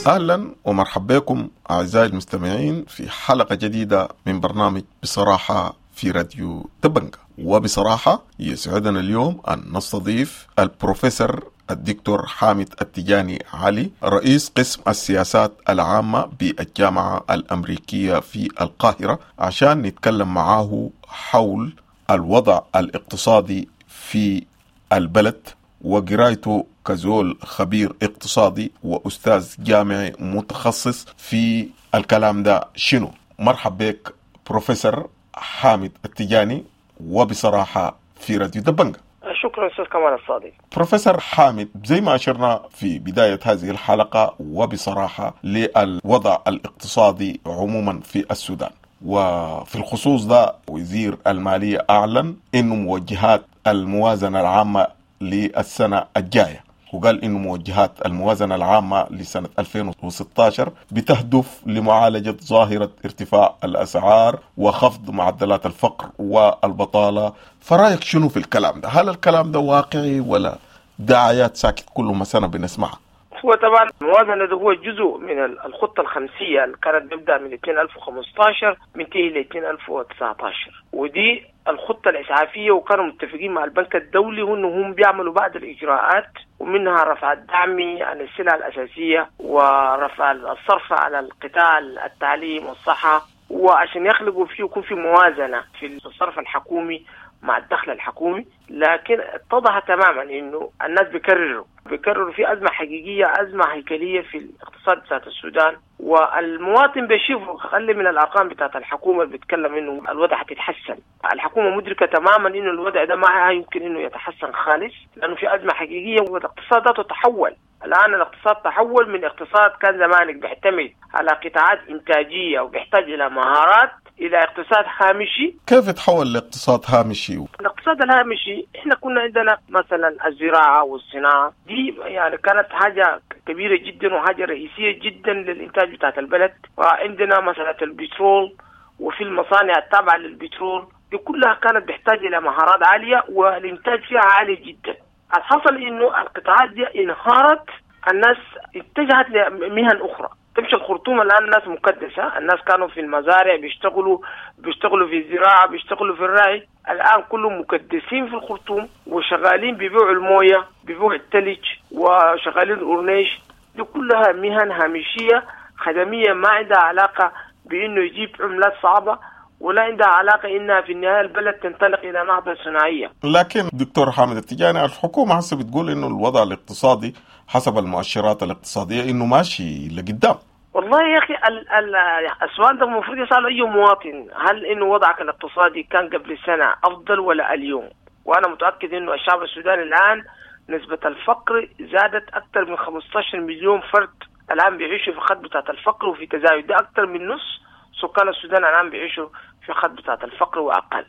أهلا ومرحبا بكم أعزائي المستمعين في حلقة جديدة من برنامج بصراحة في راديو دبنجا. وبصراحة يسعدنا اليوم أن نستضيف البروفيسور الدكتور حامد التجاني علي، رئيس قسم السياسات العامة بالجامعة الأمريكية في القاهرة، عشان نتكلم معاه حول الوضع الاقتصادي في البلد وقرايته كزول خبير اقتصادي وأستاذ جامعي متخصص في الكلام ده شنو. مرحب بك بروفيسور حامد التجاني وبصراحة في راديو دبنجة. شكرا أستاذ كمال الصادق. بروفيسور حامد، زي ما أشرنا في بداية هذه الحلقة وبصراحة للوضع الاقتصادي عموما في السودان، وفي الخصوص ده وزير المالية أعلن إنه موجهات الموازنة العامة للسنة الجاية، وقال إنه موجهات الموازنة العامة لسنة ألفين وستة عشر بتهدف لمعالجة ظاهرة ارتفاع الأسعار وخفض معدلات الفقر والبطالة. فرأيك شنو في الكلام ده؟ هل الكلام ده واقعي ولا دعايات ساكت كل ما سنة بنسمعها؟ هو طبعا الموازنة ده هو جزء من الخطة الخمسية اللي كانت بيبدأ من ألفين وخمسة عشر منتهي ل ألفين وتسعة عشر، ودي الخطة الإسعافية، وكانوا متفقين مع البنك الدولي وإنه هم بيعملوا بعض الإجراءات، ومنها رفع الدعم عن السلع الأساسية ورفع الصرف على القطاع التعليم والصحة، وعشان يخلقوا فيه يكون في موازنة في الصرف الحكومي مع الدخل الحكومي. لكن اتضح تماما انه الناس بيكرروا بيكرروا في ازمة حقيقية، ازمة هيكلية في الاقتصاد بتاعت السودان، والمواطن بيشوف اقل من الارقام بتاعت الحكومة اللي بيتكلم انه الوضع حتتحسن. الحكومة مدركه تماما انه الوضع ده ما يمكن انه يتحسن خالص، لانه في ازمة حقيقية والاقتصاد ذاته تحول. الان الاقتصاد تحول من اقتصاد كان زمانك بيعتمد على قطاعات انتاجية وبيحتاج الى مهارات الى اقتصاد هامشي. كيف تحول لاقتصاد هامشي؟ الاقتصاد الهامشي احنا كنا عندنا مثلا الزراعة والصناعة دي يعني كانت حاجة كبيرة جدا وحاجه رئيسية جدا للانتاج بتاعت البلد، وعندنا مسالة البترول وفي المصانع التابعة للبترول دي كلها كانت بتحتاج الى مهارات عالية والانتاج فيها عالي جدا. الحصل انه القطاعات دي انهارت، الناس اتجهت لمهن اخرى. تمشي الخرطوم الان الناس مكدسه، الناس كانوا في المزارع بيشتغلوا بيشتغلوا في الزراعة، بيشتغلوا في الرعي، الان كلهم مكدسين في الخرطوم وشغالين بيبيعوا المويه، بيبيعوا الثلج، وشغالين الاورنيش. دي كلها مهن هامشية خدميه ما عندها علاقة بانه يجيب عملات صعبة، ولا عندها علاقة إنها في النهاية البلد تنطلق إلى نهضة صناعية. لكن دكتور حامد التجاني، الحكومة هسه بتقول إنه الوضع الاقتصادي حسب المؤشرات الاقتصادية إنه ماشي لقدام. والله يا أخي ال ال السؤال ده المفروض يسأله أي مواطن، هل إنه وضعك الاقتصادي كان قبل سنة أفضل ولا اليوم؟ وأنا متأكد إنه الشعب السوداني الآن نسبة الفقر زادت أكثر من خمسة عشر مليون فرد الآن بيعيشوا في خط بتاعة الفقر وفي تزايد، ده أكثر من نص سكان السودان الآن بيعيشوا في خط بتاعة الفقر وأقل.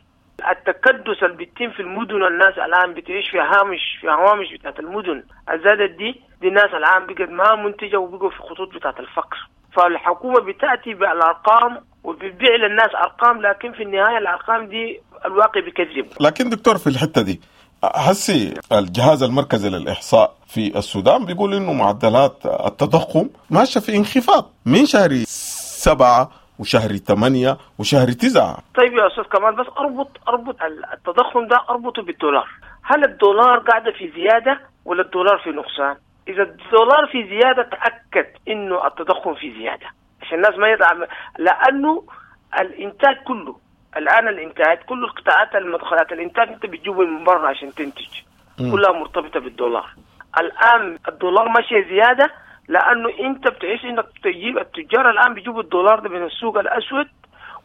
التكدس اللي بيتم في المدن، الناس الآن بتعيش في هامش في هوامش بتاعة المدن الزادت دي، دي الناس الآن بقت ما منتجة وبقوا في خطوط بتاعة الفقر. فالحكومة بتأتي بالأرقام وبتبيع للناس أرقام، لكن في النهاية الأرقام دي الواقع بيكذب. لكن دكتور في الحتة دي هسي الجهاز المركزي للإحصاء في السودان بيقول إنه معدلات التضخم ماشية في انخفاض من شهر سبعة وشهر ثمانية وشهر تسعة. طيب يا أستاذ كمال، بس أربط أربط التضخم ده أربطه بالدولار. هل الدولار قاعدة في زيادة ولا الدولار في نقصان؟ إذا الدولار في زيادة تأكد إنه التضخم في زيادة، عشان الناس ما يدعم، لأنه الإنتاج كله الآن الإنتاج كل القطاعات المدخلات الإنتاج أنت بتجيبه من برا عشان تنتج م. كلها مرتبطة بالدولار. الآن الدولار ماشي زيادة لأنه أنت بتعيش إنك تجيب التجار الآن بيجيبوا الدولار ده من السوق الأسود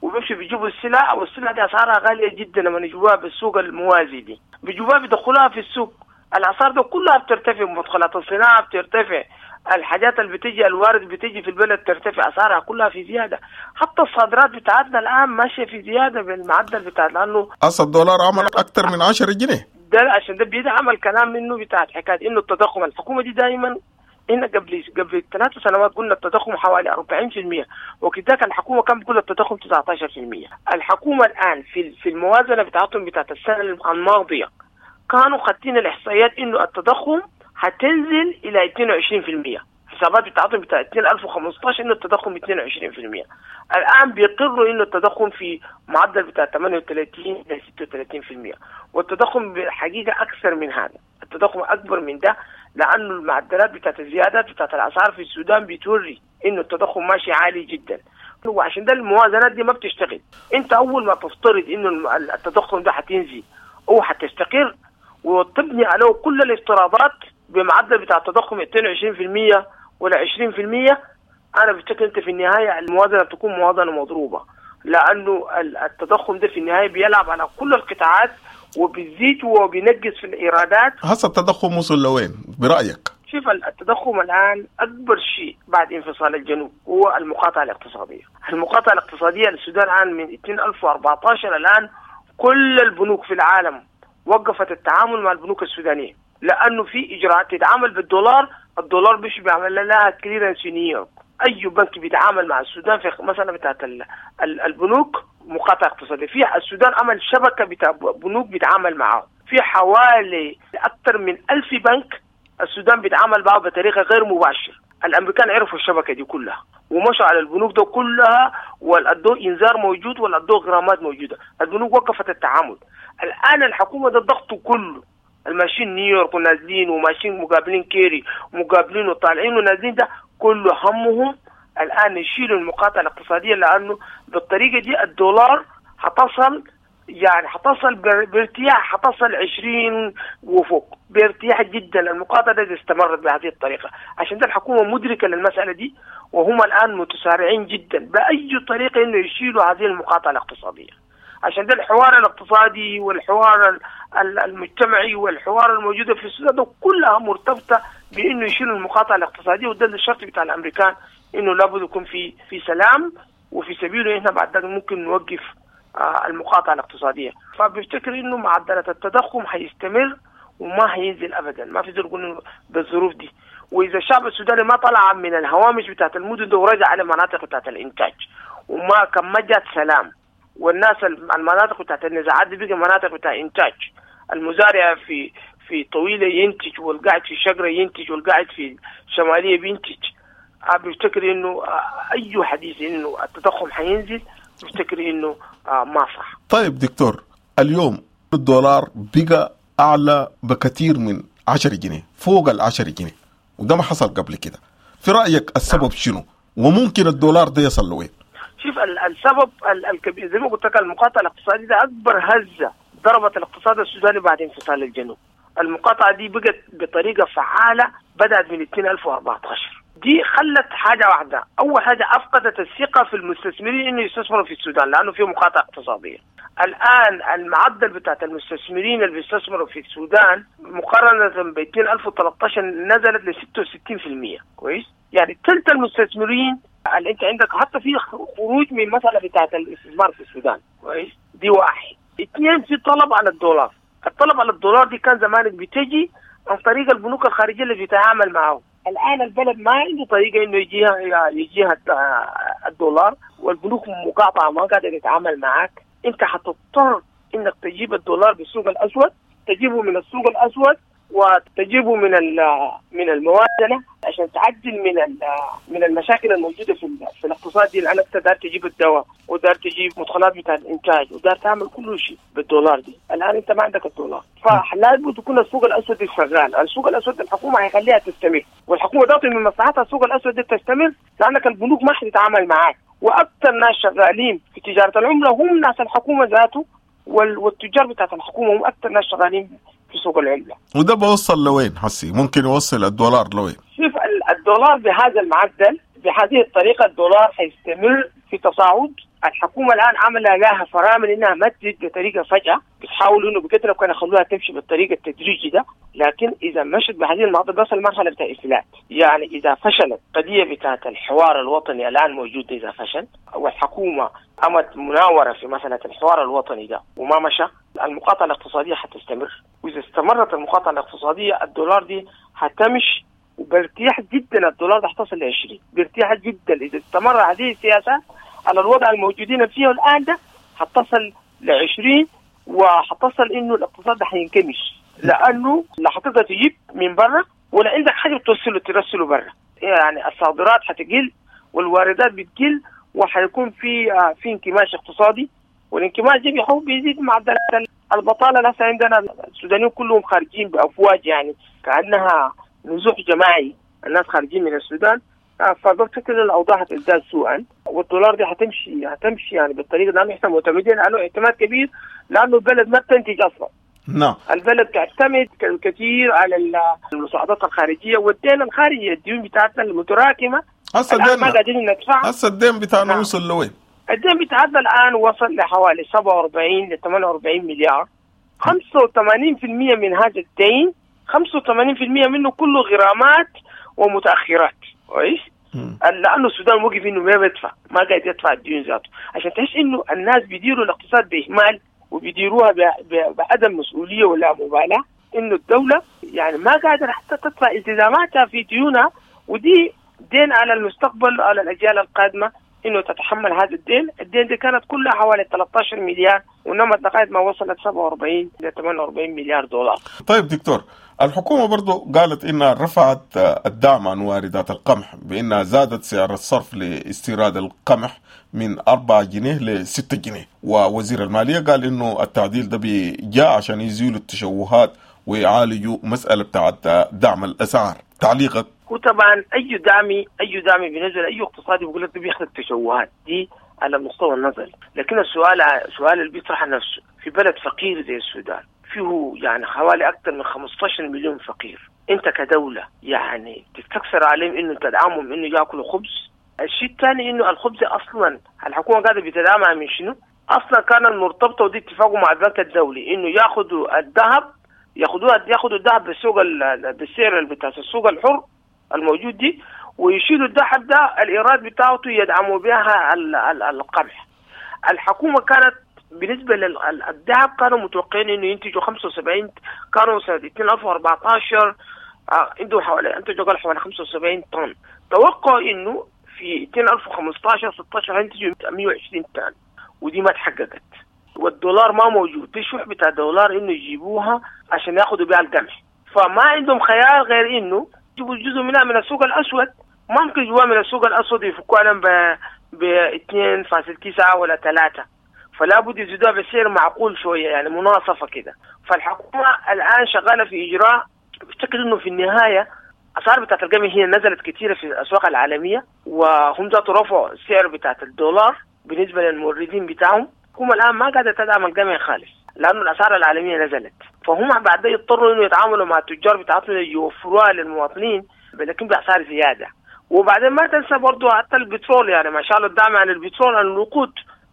وبيمشوا بيجيبوا السلع، والسلع دي أسعارها غالية جدا لما يجيبوها بالسوق الموازي دي، بيجيبوها بيدخلوها في السوق، الأسعار ده كلها بترتفع، مدخلات الصناعة بترتفع، الحاجات اللي بتيجي الوارد بتيجي في البلد ترتفع، أسعارها كلها في زيادة. حتى الصادرات بتاعتنا الآن ماشية في زيادة بالمعدل بتاع، لأنه أصل الدولار عمل أكثر من عشرة جنيه. ده عشان ده بيدعم الكلام منه بتاع حكاية إنه التضخم. الحكومة دي دائما إن قبل قبل ثلاث سنوات قلنا التضخم حوالي أربعين بالمئة، وكذلك الحكومة كان بتقول التضخم تسعة عشر بالمئة. الحكومة الآن في في الموازنة بتاعتهم بتاعت السنة الماضية كانوا خاطين الإحصائيات إنه التضخم هتنزل إلى اثنين وعشرين بالمئة. حسابات بتاعتهم بتاع ألفين وخمستاشر انه التضخم اثنين وعشرين بالمية. الان بيقروا انه التضخم في معدل بتاع ثمانية وثلاثين الى ستة وثلاثين بالمية، والتضخم بالحقيقة اكثر من هذا، التضخم اكبر من ده، لانه المعدلات بتاعت الزيادات بتاعت الاسعار في السودان بتوري انه التضخم ماشي عالي جدا، وعشان ده الموازنات دي ما بتشتغل. انت اول ما تفترض انه التضخم ده حتنزل او حتستقر وتبني عليه كل الافتراضات بمعدل بتاع التضخم اثنين وعشرين بالمية ولا عشرين بالمية، انا بفتكر انت في النهاية الموازنة بتكون موازنه مضروبة، لانه التضخم ده في النهاية بيلعب على كل القطاعات وبيزيد وبينقص في الايرادات. هسه التضخم وصل لوين برايك؟ شوف، التضخم الان اكبر شيء بعد انفصال الجنوب هو المقاطعة الاقتصادية. المقاطعة الاقتصادية للسودان الان من ألفين وأربعتاشر الان كل البنوك في العالم وقفت التعامل مع البنوك السودانية، لانه في اجراءات تتعامل بالدولار، الدولار مش بيعمل لها clearance في نيويورك. اي بنك بيتعامل مع السودان في مثلا بتاعت البنوك مقاطعه اقتصادية، في السودان عمل شبكة بتاع بنوك بيتعامل معاه، في حوالي اكثر من ألف بنك السودان بيتعامل معه بطريقة غير مباشرة. الامريكان عرفوا الشبكة دي كلها ومشوا على البنوك ده كلها، والادوا انذار موجود والادوا غرامات موجودة، البنوك وقفت التعامل. الان الحكومة ده الضغط كله، الماشيين نيويورك ونازلين وماشيين مقابلين كيري ومقابلين وطالعين ونازلين، ده كله همهم الان يشيلوا المقاطعة الاقتصادية، لانه بالطريقة دي الدولار حتصل يعني حتصل بارتياح، حتصل عشرين وفوق بارتياح جدا. المقاطعة دي استمرت بهذه الطريقة، عشان ده الحكومة مدركه للمسالة دي، وهم الان متسارعين جدا باي طريقه انه يشيلوا هذه المقاطعة الاقتصادية. عشان ده الحوار الاقتصادي والحوار المجتمعي والحوار الموجود في السودان ده كلها مرتبطة بانه يشيلوا المقاطعة الاقتصادية، وده الشرط بتاع الامريكان انه لابد يكون في في سلام، وفي سبيله احنا بعد ذلك ممكن نوقف المقاطعة الاقتصادية. فبفتكر انه معدلات التضخم حيستمر وما حينزل ابدا، ما في زول يقول بالظروف دي. واذا الشعب السوداني ما طلع من الهوامش بتاعت المدن ده ورجع على مناطق بتاعت الانتاج، وما كان ما جات سلام، والناس المناطق بتاعت النزاعات دي بقى مناطق بتاع انتاج، المزارع في في طويلة ينتج، والقاعد في شجرة ينتج، والقاعد في شمالية بينتج. بفتكر انه اي حديث انه التضخم حينزل بفتكر انه ما صح. طيب دكتور، اليوم الدولار بقى اعلى بكثير من عشرة جنيه، فوق ال عشرة جنيه، وده ما حصل قبل كده. في رايك السبب شنو؟ وممكن الدولار ده يصل لوين؟ شوف، السبب الكبير زي ما قلت لك المقاطعة الاقتصادية ده اكبر هزه ضربت الاقتصاد السوداني بعد انفصال الجنوب. المقاطعة دي بقت بطريقة فعاله بدات من ألفين وأربعتاشر، دي خلت حاجة واحدة، اول حاجة افقدت الثقة في المستثمرين انه يستثمروا في السودان لانه في مقاطعه اقتصادية. الان المعدل بتاعت المستثمرين اللي بيستثمروا في السودان مقارنة ب ألفين وثلاثتاشر نزلت ل ستة وستين بالمية، كويس؟ يعني ثلث المستثمرين اللي انت عندك حتى في خروج من مسالة بتاعت الاستثمار في السودان، كويس؟ دي واحد. اثنين، في طلب على الدولار. الطلب على الدولار دي كان زمانك بتجي عن طريق البنوك الخارجية اللي بيتعامل معه. الان البلد ما عنده طريقه انه يجيها يجيها الدولار، والبنوك مقاطعه ما قادرة تتعامل معك. انت حتضطر انك تجيب الدولار بالسوق الاسود، تجيبه من السوق الاسود وتجيبه من من الموازنة عشان تعدل من من المشاكل الموجودة في في الاقتصاد دي. لانك انت دار تجيب الدواء ودار تجيب مدخلات بتاع الانتاج ودار تعمل كل شيء بالدولار دي. الان انت ما عندك الدولار، فلابد يكون السوق الاسود شغال. السوق الاسود الحكومة هيخليها تستمر، والحكومة ذاتها من مصلحتها السوق الاسود دي تستمر، لانك البنوك ما حتتعامل معاك، واكثر ناس شغالين في تجارة العملة هم ناس الحكومة ذاته، والتجار بتاعت الحكومة هم اكثر ناس شغالين في سوق العملة. وده بوصل لوين حسي؟ ممكن يوصل الدولار لوين؟ شوف، الدولار بهذا المعدل بهذه الطريقة الدولار حيستمر في تصاعد. الحكومة الان عامله لها فرامل انها ما تزيد بطريقة فجاة، بتحاول انه بقدر الامكان يخلوها تمشي بالطريقة التدريجي ده، لكن اذا مشت بهذه المعدل بس المرحلة بتاع افلات. يعني اذا فشلت قضية بتاعت الحوار الوطني الان موجود، اذا فشل والحكومة قامت مناوره في مسالة الحوار الوطني ده وما مشى، المقاطعة الاقتصادية حتستمر. واذا استمرت المقاطعة الاقتصادية الدولار دي حتمشي وبارتياح جدا، الدولار ده حتصل ل عشرين بارتياح جدا. اذا استمر هذه السياسة على الوضع الموجودين فيه الان ده حتصل ل عشرين، وحتصل انه الاقتصاد ده حينكمش، لانه لا حتقدر تجيب من برا ولا عندك حاجة توصله ترسله برا. يعني الصادرات حتقل والواردات بتقل، وحيكون في في انكماش اقتصادي، والانكماش ده بيحاول بيزيد معدلات البطالة. لسه عندنا السودانيين كلهم خارجين بافواج، يعني كانها نزوح جماعي، الناس خارجين من السودان. فبفتكر ان الاوضاع هتزداد سوءا، والدولار دي هتمشي هتمشي يعني بالطريقة، لانه احنا معتمدين عليه اعتماد كبير، لانه البلد ما بتنتج اصلا. نعم، البلد تعتمد كثير على المساعدات الخارجية والدين الخارجي، الديون بتاعتنا المتراكمة هسه الان ما قادرين ندفعها. هسه الدين بتاعنا وصل لوين؟ الدين بتاعتنا الان وصل لحوالي سبعة وأربعين ل ثمانية وأربعين مليار. خمسة وثمانين بالمئة من هذا الدين، خمسة وثمانين بالمئة منه كله غرامات ومتاخرات. كويس؟ لانه السودان وقف انه ما بيدفع، ما قاعد يدفع الديون ذاته، عشان تحس انه الناس بيديروا الاقتصاد باهمال وبيديروها بعدم مسؤولية ولا مبالاة، انه الدولة يعني ما قادرة حتى تدفع التزاماتها في ديونها، ودي دين على المستقبل على الاجيال القادمة انه تتحمل هذا الدين. الدين دي كانت كلها حوالي ثلاثة عشر مليار، ونمت لغاية ما وصلت سبعة وأربعين الى ثمانية وأربعين مليار دولار. طيب دكتور، الحكومة برضو قالت إنها رفعت الدعم عن واردات القمح بإنها زادت سعر الصرف لاستيراد القمح من أربعة جنيه لستة جنيه، ووزير المالية قال إنه التعديل ده جاء عشان يزيلوا التشوهات ويعالجوا مسألة بتاعت دعم الأسعار. تعليقك؟ وطبعا أي دعم أي دعم بالنسبة لأي اقتصادي بيقول لك بيخلق تشوهات دي على المستوى النظري، لكن السؤال سؤال اللي بيطرح نفسه في بلد فقير زي السودان فيه يعني حوالي أكثر من خمسة عشر مليون فقير، أنت كدولة يعني تستكثر عليهم إنه تدعمهم إنه يأكلوا خبز؟ الشيء الثاني إنه الخبز أصلا الحكومة قاعدة بتدعمها من شنو؟ أصلا كان المرتبطة ودي اتفاقوا مع البنك الدولي إنه ياخذوا الذهب، ياخذوها ياخذوا الذهب بالسوق بالسعر بتاع السوق الحر الموجود دي، ويشيلوا الذهب ده الإيراد بتاعته يدعموا بها القمح. الحكومة كانت بالنسبة للذهب كانوا متوقعين انه ينتجوا خمسة وسبعين، كانوا سنة ألفين وأربعة عشر عندهم حوالي انتجوا حوالي خمسة وسبعين طن، توقعوا انه في ألفين وخمسة عشر ستة عشر ينتجوا مئة وعشرين طن، ودي ما تحققت. والدولار ما موجود، في شح بتاع دولار انه يجيبوها عشان ياخذوا بها القمح، فما عندهم خيار غير انه يجيبوا جزء منها من السوق الاسود. ما ممكن يجيبوها من السوق الاسود يفكوها لهم ب اثنين فاصلة تسعة ولا ثلاثة، فلا بد يزيدوها بسعر معقول شوية يعني مناصفه كده. فالحكومة الان شغالة في اجراء، بفتكر انه في النهاية اسعار بتاعت القمح هي نزلت كثيرة في الاسواق العالمية، وهم ذاته رفعوا السعر بتاعت الدولار بالنسبة للموردين بتاعهم. الحكومة الان ما قاعدة تدعم القمح خالص لانه الاسعار العالمية نزلت، فهم بعد يضطروا انه يتعاملوا مع التجار بتاعتهم يوفروها للمواطنين لكن باسعار زيادة. وبعدين ما تنسى برضه حتى البترول، يعني ما شاء الله الدعم عن البترول عن الوقود،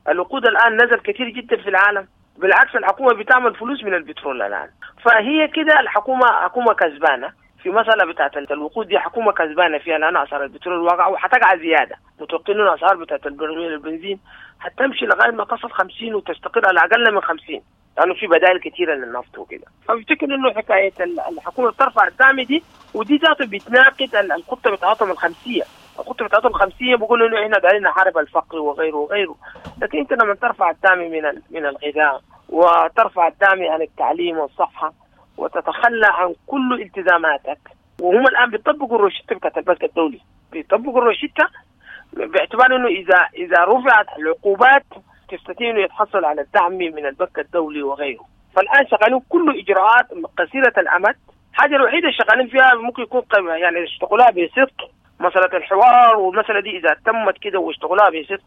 الوقود الآن نزل كثير جدا في العالم، بالعكس الحكومة بتعمل فلوس من البترول الآن. فهي كده الحكومة حكومة كسبانة في مسألة بتاعت الوقود دي، حكومة كسبانة فيها لأن أسعار البترول واقعة وحتقع زيادة، متوقعين إنه أسعار بتاعت البرميل البنزين هتمشي لغاية ما تصل خمسين وتستقر على أقل من خمسين، لأنه في بدائل كثيرة للنفط وكده. فبفتكر إنه حكاية الحكومة بترفع الدعم دي، ودي ذاته بتناقض الخطة بتاعتهم الخمسية. الخطة بتاعتهم الخمسية بيقولوا إنه إحنا دايرين نحارب الفقر وغيره وغيره، لكن أنت لما ترفع الدعم من من الغذاء وترفع الدعم عن التعليم والصحة وتتخلى عن كل التزاماتك، وهم الآن بيطبقوا الروشتة بتاعت البنك الدولي، بيطبقوا الروشتة باعتبار إنه إذا إذا رفعت العقوبات تستطيع إنه يتحصل على الدعم من البنك الدولي وغيره. فالآن شغالين كل إجراءات قصيرة الأمد. الحاجة الوحيدة شغالين فيها ممكن يكون يعني اشتغلوها بصدق مسألة الحوار، والمسألة دي إذا تمت كده واشتغلوها بصدق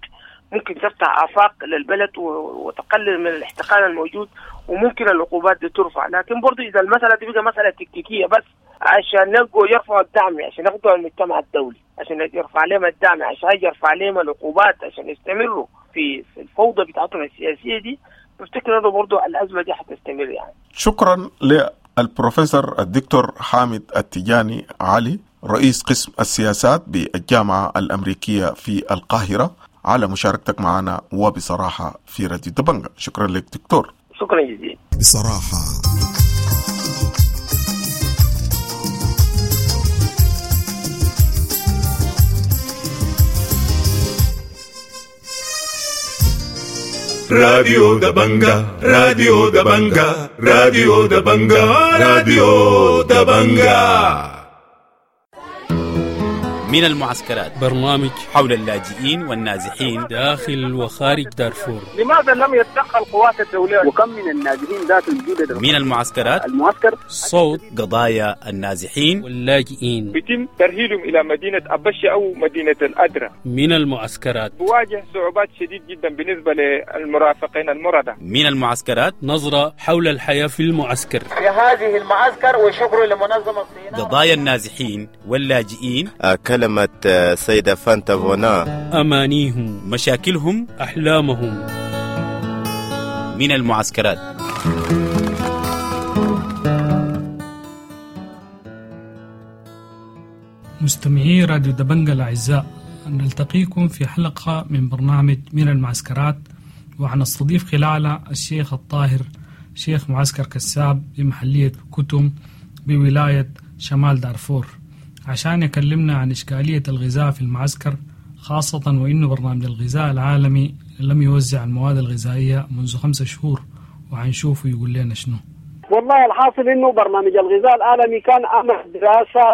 ممكن تفتح آفاق للبلد وتقلل من الاحتقان الموجود، وممكن العقوبات دي ترفع. لكن برضو إذا المسألة دي بقى مسألة تكتيكية بس عشان يلقوا يرفعوا الدعم، عشان ياخدوا المجتمع الدولي، عشان يرفع عليهم الدعم، عشان يرفع عليهم العقوبات، عشان يستمروا في الفوضى بتاعتهم السياسية دي، بفتكر إنه برضو الأزمة دي حتستمر يعني. شكرا للبروفيسور الدكتور حامد التجاني علي، رئيس قسم السياسات بالجامعة الأمريكية في القاهرة، على مشاركتك معنا وبصراحة في راديو دبنجة. شكرا لك دكتور. شكرا جزيلا. بصراحة راديو دبنجة، راديو دبنجة، راديو دبنجة، راديو دبنجة. من المعسكرات، برنامج حول اللاجئين والنازحين داخل وخارج دارفور. لماذا لم يتدخل قوات الدولة؟ وكم من النازحين ذات الجدد من المعسكرات؟ المعسكر صوت قضايا النازحين واللاجئين. بيتم ترهيلهم إلى مدينة أبشة أو مدينة الأدرة. من المعسكرات بواجه صعوبات شديد جدا بالنسبة للمرافقين المرضى. من المعسكرات نظرة حول الحياة في المعسكر، في هذه المعسكر، وشكر لمنظمة الصين. قضايا النازحين واللاجئين، كلمة سيدة فانتا فونا، أمانيهم، مشاكلهم، أحلامهم. من المعسكرات. مستمعي راديو دبنجة الأعزاء، نلتقيكم في حلقة من برنامج من المعسكرات، وحنستضيف خلالها الشيخ الطاهر، شيخ معسكر كساب بمحلية كتم بولاية شمال دارفور، عشان يكلمنا عن إشكالية الغذاء في المعسكر، خاصة وإنه برنامج الغذاء العالمي لم يوزع المواد الغذائية منذ خمسة شهور، وعنشوفه يقول لنا شنو. والله الحاصل انه برنامج الغذاء العالمي كان عمل دراسة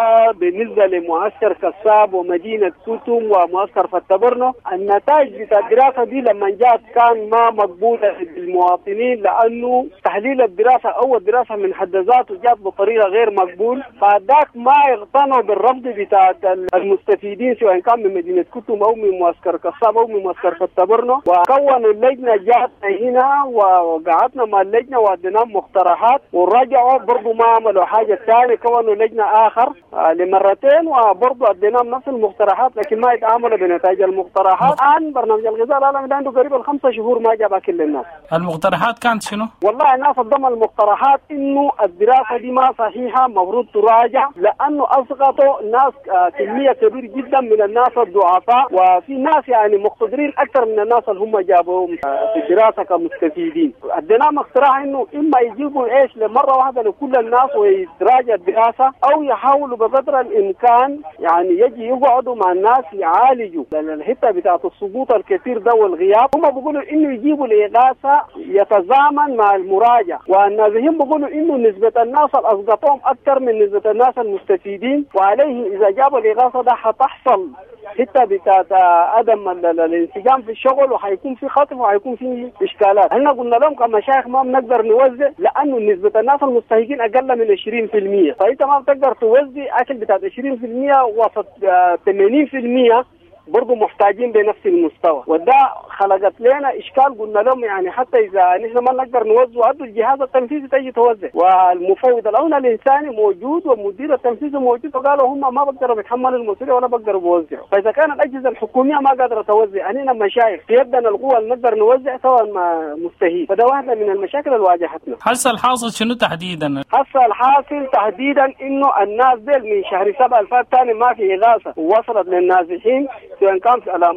بالنسبة لمعسكر كساب ومدينة كتم ومعسكر فتبرنو. النتائج بتاع الدراسة دي لما جات كان ما مقبولة للمواطنين، لانه تحليل الدراسة او الدراسة من حد ذاته جات بطريقة غير مقبول، فذاك ما اقتنعوا بالرفض بتاع المستفيدين سواء كان من مدينة كتم او من معسكر كساب او من معسكر فتبرنو. وكونوا اللجنة جات هنا وقعدنا مع اللجنة واديناهم مقترحات، ورجعوا برضو ما عملوا حاجة ثانية، كونوا لجنة آخر لمرتين وبرضو أديناهم نفس المقترحات لكن ما يتعاملوا بنتائج المقترحات. الآن برنامج الغذاء العالمي ده عنده قريب الخمسة شهور ما جاب أكل للناس. المقترحات كانت شنو؟ والله الناس قدموا المقترحات إنه الدراسة دي ما صحيحة، مفروض تراجع، لأنه أسقطوا ناس كمية كبيرة جدا من الناس الضعفاء، وفي ناس يعني مقتدرين أكثر من الناس اللي هم جابوهم في الدراسة كمستفيدين. أديناهم اقتراح إنه إما يجيبوا إيش مرة واحدة لكل الناس ويتراجع الدراسة، أو يحاولوا بقدر الإمكان يعني يجي يقعدوا مع الناس يعالجوا الحتة بتاعة السقوط الكثير ده والغياب. هم بيقولوا إنه يجيبوا الإغاثة يتزامن مع المراجعة، والنازحين بيقولوا إنه نسبة الناس اللي أسقطوهم أكثر من نسبة الناس المستفيدين، وعليه إذا جابوا الإغاثة ده حتحصل حتة بتاعت عدم الانسجام في الشغل، وحيكون في خطف وحيكون في اشكالات. احنا قلنا لهم كمشايخ ما بنقدر نوزع لانه نسبه الناس المستهلكين اقل من عشرين بالمية، فانت ما بتقدر توزع اكل بتاعت عشرين بالمية وسط ثمانين بالمية برضه محتاجين بنفس المستوى، وده خلقت لنا اشكال. قلنا لهم يعني حتى اذا نحن ما نقدر نوزع ادوا الجهاز التنفيذي تيجي توزع، والمفوض العون الانساني موجود ومدير التنفيذي موجود، وقالوا هم ما بقدروا بيتحملوا المسؤولية ولا بقدروا بوزعوا. فاذا كان الاجهزة الحكومية ما قادرة توزع، اننا مشايخ في يدنا القوة اللي نقدر نوزع سواء ما مستهيل. فده واحدة من المشاكل اللي واجهتنا. هسه الحاصل شنو تحديدا؟ هسه الحاصل تحديدا انه الناس ديل من شهر سبعة الفات ثاني ما في اغاثه وصلت للنازحين، سواء كان على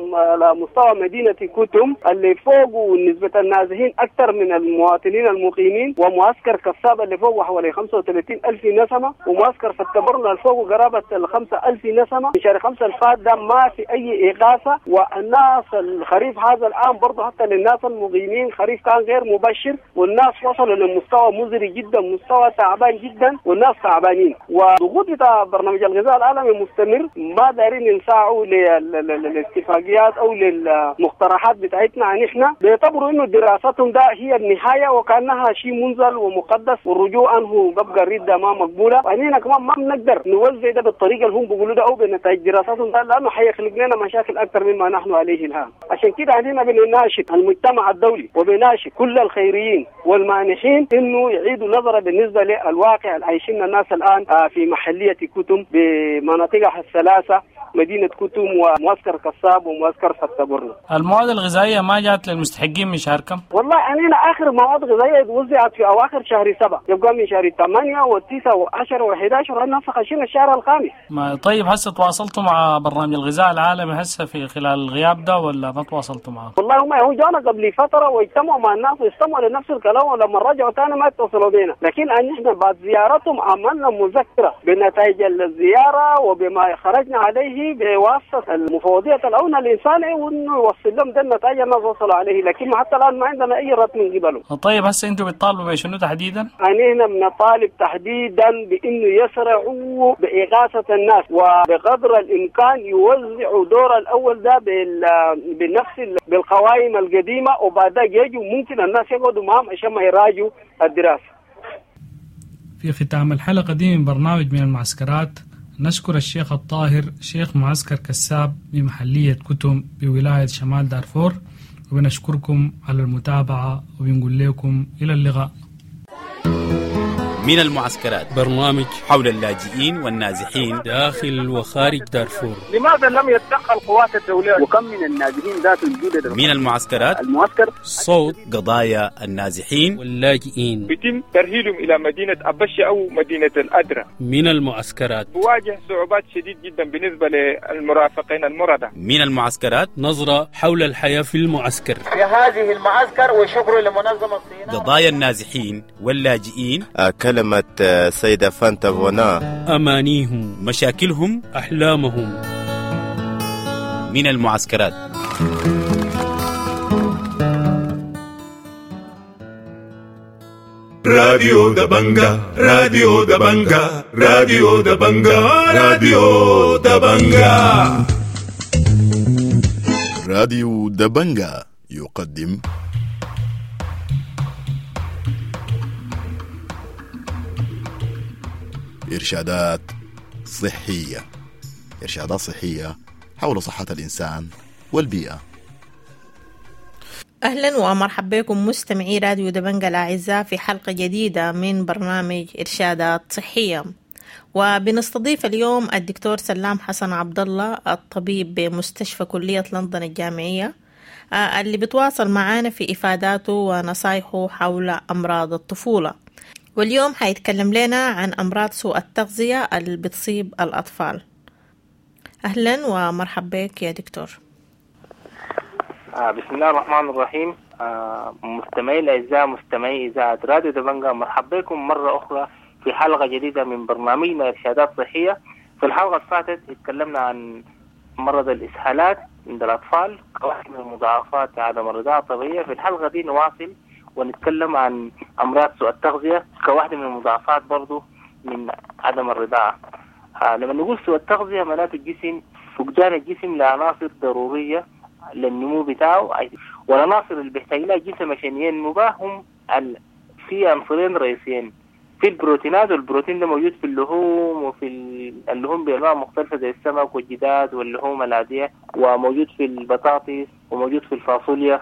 مستوى مدينة كتم اللي فوق نسبة النازحين أكثر من المواطنين المقيمين، ومعسكر كساب اللي فوق حوالي خمسة وثلاثين ألف نسمة، ومعسكر فتبرنا اللي فوق قرابة الخمسة ألف نسمة. في شهر خمسة الفات ده ما في أي إغاثة، والناس الخريف هذا العام برضه حتى للناس المقيمين خريف كان غير مبشر، والناس وصلوا لمستوى مزري جدا، مستوى تعبان جدا، والناس تعبانين. وضغوط بتاع برنامج الغذاء العالمي مستمر، ما دارين ينسعوا لل للاتفاقيات او للمقترحات بتاعتنا. نحن بيعتبروا انه دراستهم ده هي النهاية وكانها شيء منزل ومقدس، والرجوع عنه ببقى الردة ما مقبولة. واننا كمان ما بنقدر نوزع ده بالطريقة اللي هم بيقولوا ده او بنتائج دراستهم ده، لانه حيخلق لنا مشاكل اكثر مما نحن عليه الان. عشان كده علينا بنناشد المجتمع الدولي وبناشد كل الخيريين والمانحين انه يعيدوا نظره بالنسبة للواقع اللي عايشين الناس الان في محليه كتم بمناطقها الثلاثة، مدينة كتم ومعسكر كساب ومعسكر فتبرنا. المواد الغذائية ما جات للمستحقين من شهر كم؟ والله أنا آخر مواد غذائية وزعت في أواخر شهر سبعة، يبقى من شهر ثمانية وتسعة وعشرة وأحد عشر، أنا خشينا الشهر الخامس. ما طيب هسه تواصلتوا مع برنامج الغذاء العالمي هسه في خلال الغياب ده ولا ما تواصلتوا معه؟ والله هم هو جانا قبل فترة واجتمعوا مع الناس واستمعوا لنفس الكلام، ولما رجعوا ثاني ما اتصلوا بينا، لكن أن احنا بعد زيارتهم عملنا مذكرة بنتائج الزيارة وبما خرجنا عليه يجي بواسطة المفوضية العون الانساني وانه يوصل لهم ده النتائج الناس وصلوا عليه، لكن حتى الان ما عندنا اي رد من قبله. طيب هسه انتم بتطالبوا بشنو تحديدا؟ يعني هنا بنطالب تحديدا بانه يسرعوا باغاثه الناس وبقدر الامكان يوزعوا دور الاول ده بنفس بالقوائم القديمة، وبعد يجوا ممكن الناس يقعدوا معهم عشان ما يراجعوا الدراسة. في ختام الحلقة دي من برنامج من المعسكرات نشكر الشيخ الطاهر شيخ معسكر كساب بمحلية كتم بولاية شمال دارفور، وبنشكركم على المتابعة وبنقول لكم إلى اللقاء. من المعسكرات برنامج حول اللاجئين والنازحين داخل وخارج دارفور. لماذا لم يتدخل قوات الدولة؟ وكم من النازحين ذات الجدد من المعسكرات المعسكر صوت قضايا النازحين واللاجئين بيتم ترهيلهم إلى مدينة أبشة أو مدينة الأدرة. من المعسكرات بواجه صعوبات شديد جدا بالنسبة للمرافقين المرضى. من المعسكرات نظرة حول الحياة في المعسكر في هذه المعسكر، وشكر لمنظمة الصينية. قضايا النازحين واللاجئين، كلمة سيدة فانتا فونا، أمانيهم، مشاكلهم، أحلامهم. من المعسكرات. راديو دبنجا، راديو دبنجا، راديو دبنجا، راديو دبنجا. راديو دبنجا يقدم إرشادات صحية. إرشادات صحية حول صحة الإنسان والبيئة. أهلا ومرحبا بكم مستمعي راديو دبنجا الأعزاء في حلقة جديدة من برنامج إرشادات صحية، وبنستضيف اليوم الدكتور سلام حسن عبد الله الطبيب بمستشفى كلية لندن الجامعية، اللي بتواصل معانا في إفاداته ونصايحه حول أمراض الطفولة. واليوم حيتكلم لنا عن أمراض سوء التغذية اللي بتصيب الأطفال. أهلا ومرحبا بك يا دكتور. آه بسم الله الرحمن الرحيم. آه مستمعي الأعزاء مستمعي إذاعة راديو دبنجا، مرحبا بكم مرة أخرى في حلقة جديدة من برنامجنا إرشادات صحية. في الحلقة اللي فاتت اتكلمنا عن مرض الإسهالات عند الأطفال كواحد من المضاعفات عدم الرضاعة الطبيعية. في الحلقة دي نواصل ونتكلم عن أمراض سوء التغذية كواحدة من المضاعفات برضو من عدم الرضاعة. آه لما نقول سوء التغذية معناته الجسم فقدان الجسم لعناصر ضرورية للنمو بتاعه، والعناصر اللي بيحتاج لها الجسم عشان ينمو بها هم ال... في عنصرين رئيسيين، في البروتينات، والبروتين ده موجود في اللحوم وفي اللحوم بأنواع مختلفة زي السمك والجداد واللحوم العادية، وموجود في البطاطس وموجود في الفاصوليا.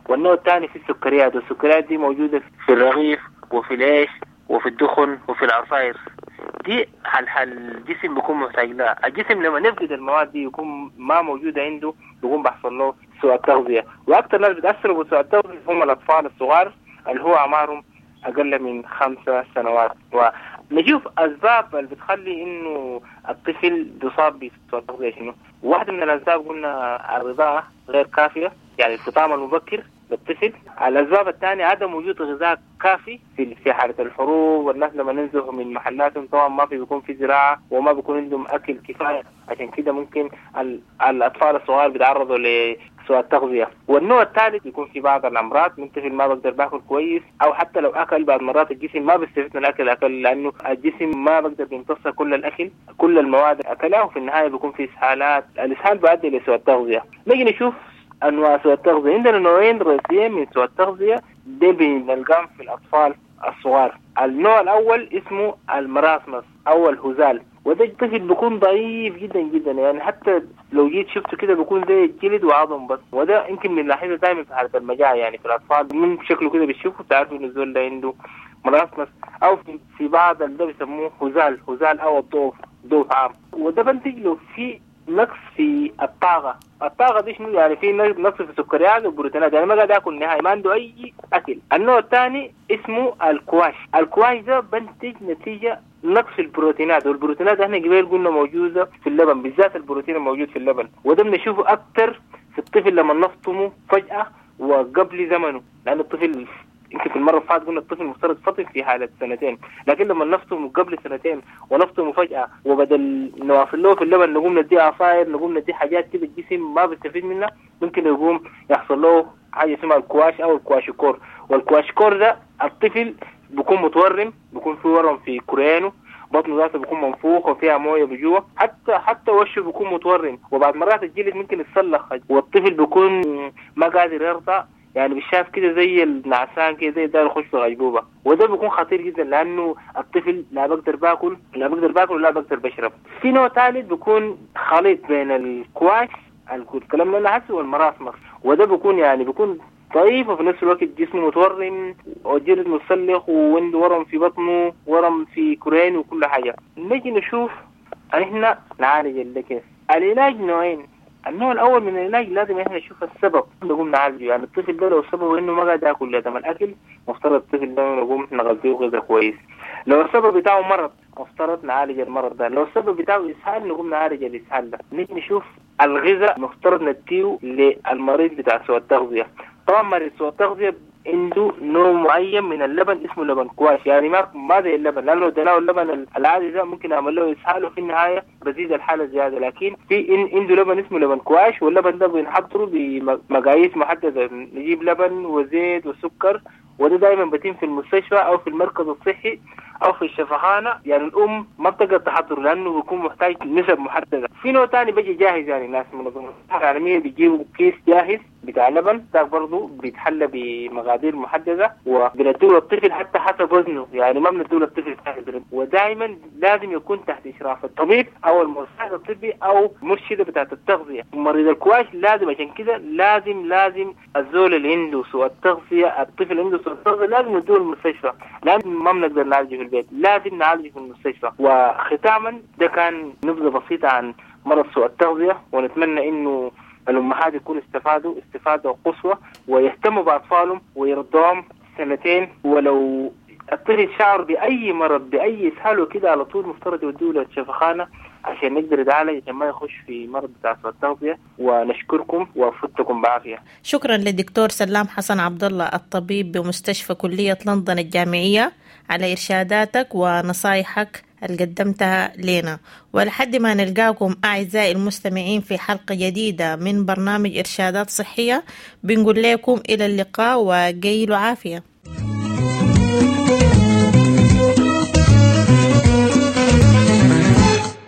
والنوع الثاني في السكريات، والسكريات دي موجودة في الرغيف وفي العيش وفي الدخن وفي العصائر. دي حال الجسم بيكون محتاج لها. الجسم لما نفقد المواد دي يكون ما موجودة عنده بيكون بيحصل له سوء التغذية. وأكثر ناس بتأثروا بسوء التغذية هم الأطفال الصغار اللي هو أعمارهم أقل من خمسة سنوات. ونشوف أسباب اللي بتخلي إنه الطفل بيصاب بسوء التغذية شنو. واحدة من الأسباب قلنا الرضاعة غير كافية، يعني الفطام المبكر للطفل. الأسباب الثانية عدم وجود غذاء كافي في في حالة الحروب، والناس لما ننزلوا من محلاتهم طبعا ما في بيكون في زراعة وما بيكون عندهم أكل كفاية، عشان كده ممكن الأطفال الصغار بيتعرضوا لسوء التغذية. والنوع الثالث يكون في بعض الأمراض، من طفل ما بقدر باكل كويس، أو حتى لو أكل بعض مرات الجسم ما بيستفيد من الأكل أكل لأنه الجسم ما بقدر بيمتص كل الأكل كل المواد أكلها، وفي النهاية بيكون في إسهالات. الإسهال بيؤدي لسوء التغذية. نيجي نشوف أنواع سوء التغذية. عندنا نوعين رئيسيين من سوء التغذية دي بنلقاهم في الأطفال الصغار. النوع الأول اسمه المراسمس أو الهزال، وده الطفل بيكون ضعيف جدا جدا، يعني حتى لو جيت شفته كده بيكون زي الجلد وعظم بس. وده يمكن بنلاحظه دائما في حالة المجاعة، يعني في الأطفال من شكله كده بتشوفه تعرفوا إنه الزول ده عنده مراسمس، أو في بعض ده بيسموه هزال، هزال أو الضعف، ضعف عام. وده بنتج له في نقص في الطاقة. الطاقة دي شنو؟ يعني في نقص في السكريات والبروتينات، يعني ما قاعد ياكل نهائي، ما عنده أي أكل. النوع الثاني اسمه الكواش. الكواش ده بنتج نتيجة نقص البروتينات، والبروتينات احنا قبل قلنا موجودة في اللبن، بالذات البروتين الموجود في اللبن، وده بنشوفه أكتر في الطفل لما نفطمه فجأة وقبل زمنه، لأن الطفل يمكن في المرة اللي فاتت قلنا الطفل مفترض فطم في حاله سنتين، لكن لما نفطمه قبل سنتين ونفطمه فجاة وبدل نواصل له في اللبن نقوم نديه عصاير، نقوم نديه حاجات كده الجسم ما بيستفيد منها، ممكن يقوم يحصل له حاجة اسمها الكواش او الكواشيكور. والكواشيكور ده الطفل بيكون متورم، بيكون في ورم في كريانه، بطنه ذاته بيكون منفوخ وفيها مويه بجوه، حتى حتى وشه بيكون متورم، وبعد مرات الجلد ممكن يتسلخ، والطفل بيكون ما قادر يرضع، يعني بيشاف كده زي النعسان كده زي ده يخش في غيبوبة، وده بيكون خطير جدا لانه الطفل لا بقدر باكل لا بقدر باكل ولا بقدر بشرب. في نوع ثالث بيكون خليط بين الكواش الكلام اللي انا حاسه والمراسمس، وده بيكون يعني بيكون ضعيف وفي نفس الوقت جسمه متورم وجلد متسلخ وعنده ورم في بطنه ورم في كرين وكل حاجة. نجي نشوف احنا نعالج ده كيف. العلاج نوعين، النوع الاول من العلاج لازم احنا نشوف السبب نقوم نعالجه، يعني الطفل ده لو سببه انه ما قاعد ياكل لازم الاكل، مفترض الطفل ده نقوم نغذيه غذاء كويس. لو السبب بتاعه مرض مفترض نعالج المرض ده، لو السبب بتاعه اسهال نقوم نعالج الاسهال ده. نيجي نشوف الغذاء مفترض نديه للمريض بتاع سوء التغذية. طبعا مريض سوء التغذية عنده نوع معين من اللبن اسمه لبن كواش، يعني ما ما زي اللبن، لانه لو اديناه اللبن العادي ده ممكن يعمل له اسهال وفي النهاية بزيد الحالة زيادة، لكن في إن عنده لبن اسمه لبن كواش، واللبن ده بنحضره بمقاييس محددة، نجيب لبن وزيت وسكر، وده دائما بتم في المستشفى او في المركز الصحي او في الشفخانه، يعني الام ما بتقدر تحضره لانه بيكون محتاج نسب محددة. في نوع ثاني بيجي جاهز، يعني ناس منظمة الصحة العالمية بيجيبوا كيس جاهز بتاع لبن، ده برضه بيتحلى بمقادير محددة وبنديه للطفل حتى حسب وزنه، يعني ما بنديه للطفل سائل، ودائما لازم يكون تحت اشراف الطبيب او المساعد الطبي او مرشده بتاعه التغذية. مريض الكواش لازم، عشان كده لازم لازم الزول اللي عنده سوء التغذية، الطفل اللي عنده سوء التغذية لازم نديه المستشفى، لان ما بنقدر نعالجه في البيت، لازم نعالجه في المستشفى. وختاما ده كان نبذه بسيطة عن مرض سوء التغذية، ونتمنى انه الأمهات يكونوا استفادوا استفادة قصوى ويهتموا بأطفالهم ويرضوهم سنتين، ولو الطفل شعر بأي مرض بأي إسهال وكده على طول مفترض يودوه للشفخانة عشان نقدر يتعالج، عشان ما يخش في مرض بتاع سوء التغذية. ونشكركم وفتكم بعافية. شكرا للدكتور سلام حسن عبد الله الطبيب بمستشفى كلية لندن الجامعية على إرشاداتك ونصايحك اللي قدمتها لنا، ولحد ما نلقاكم أعزائي المستمعين في حلقة جديدة من برنامج إرشادات صحية، بنقول لكم إلى اللقاء وقيلوا عافية.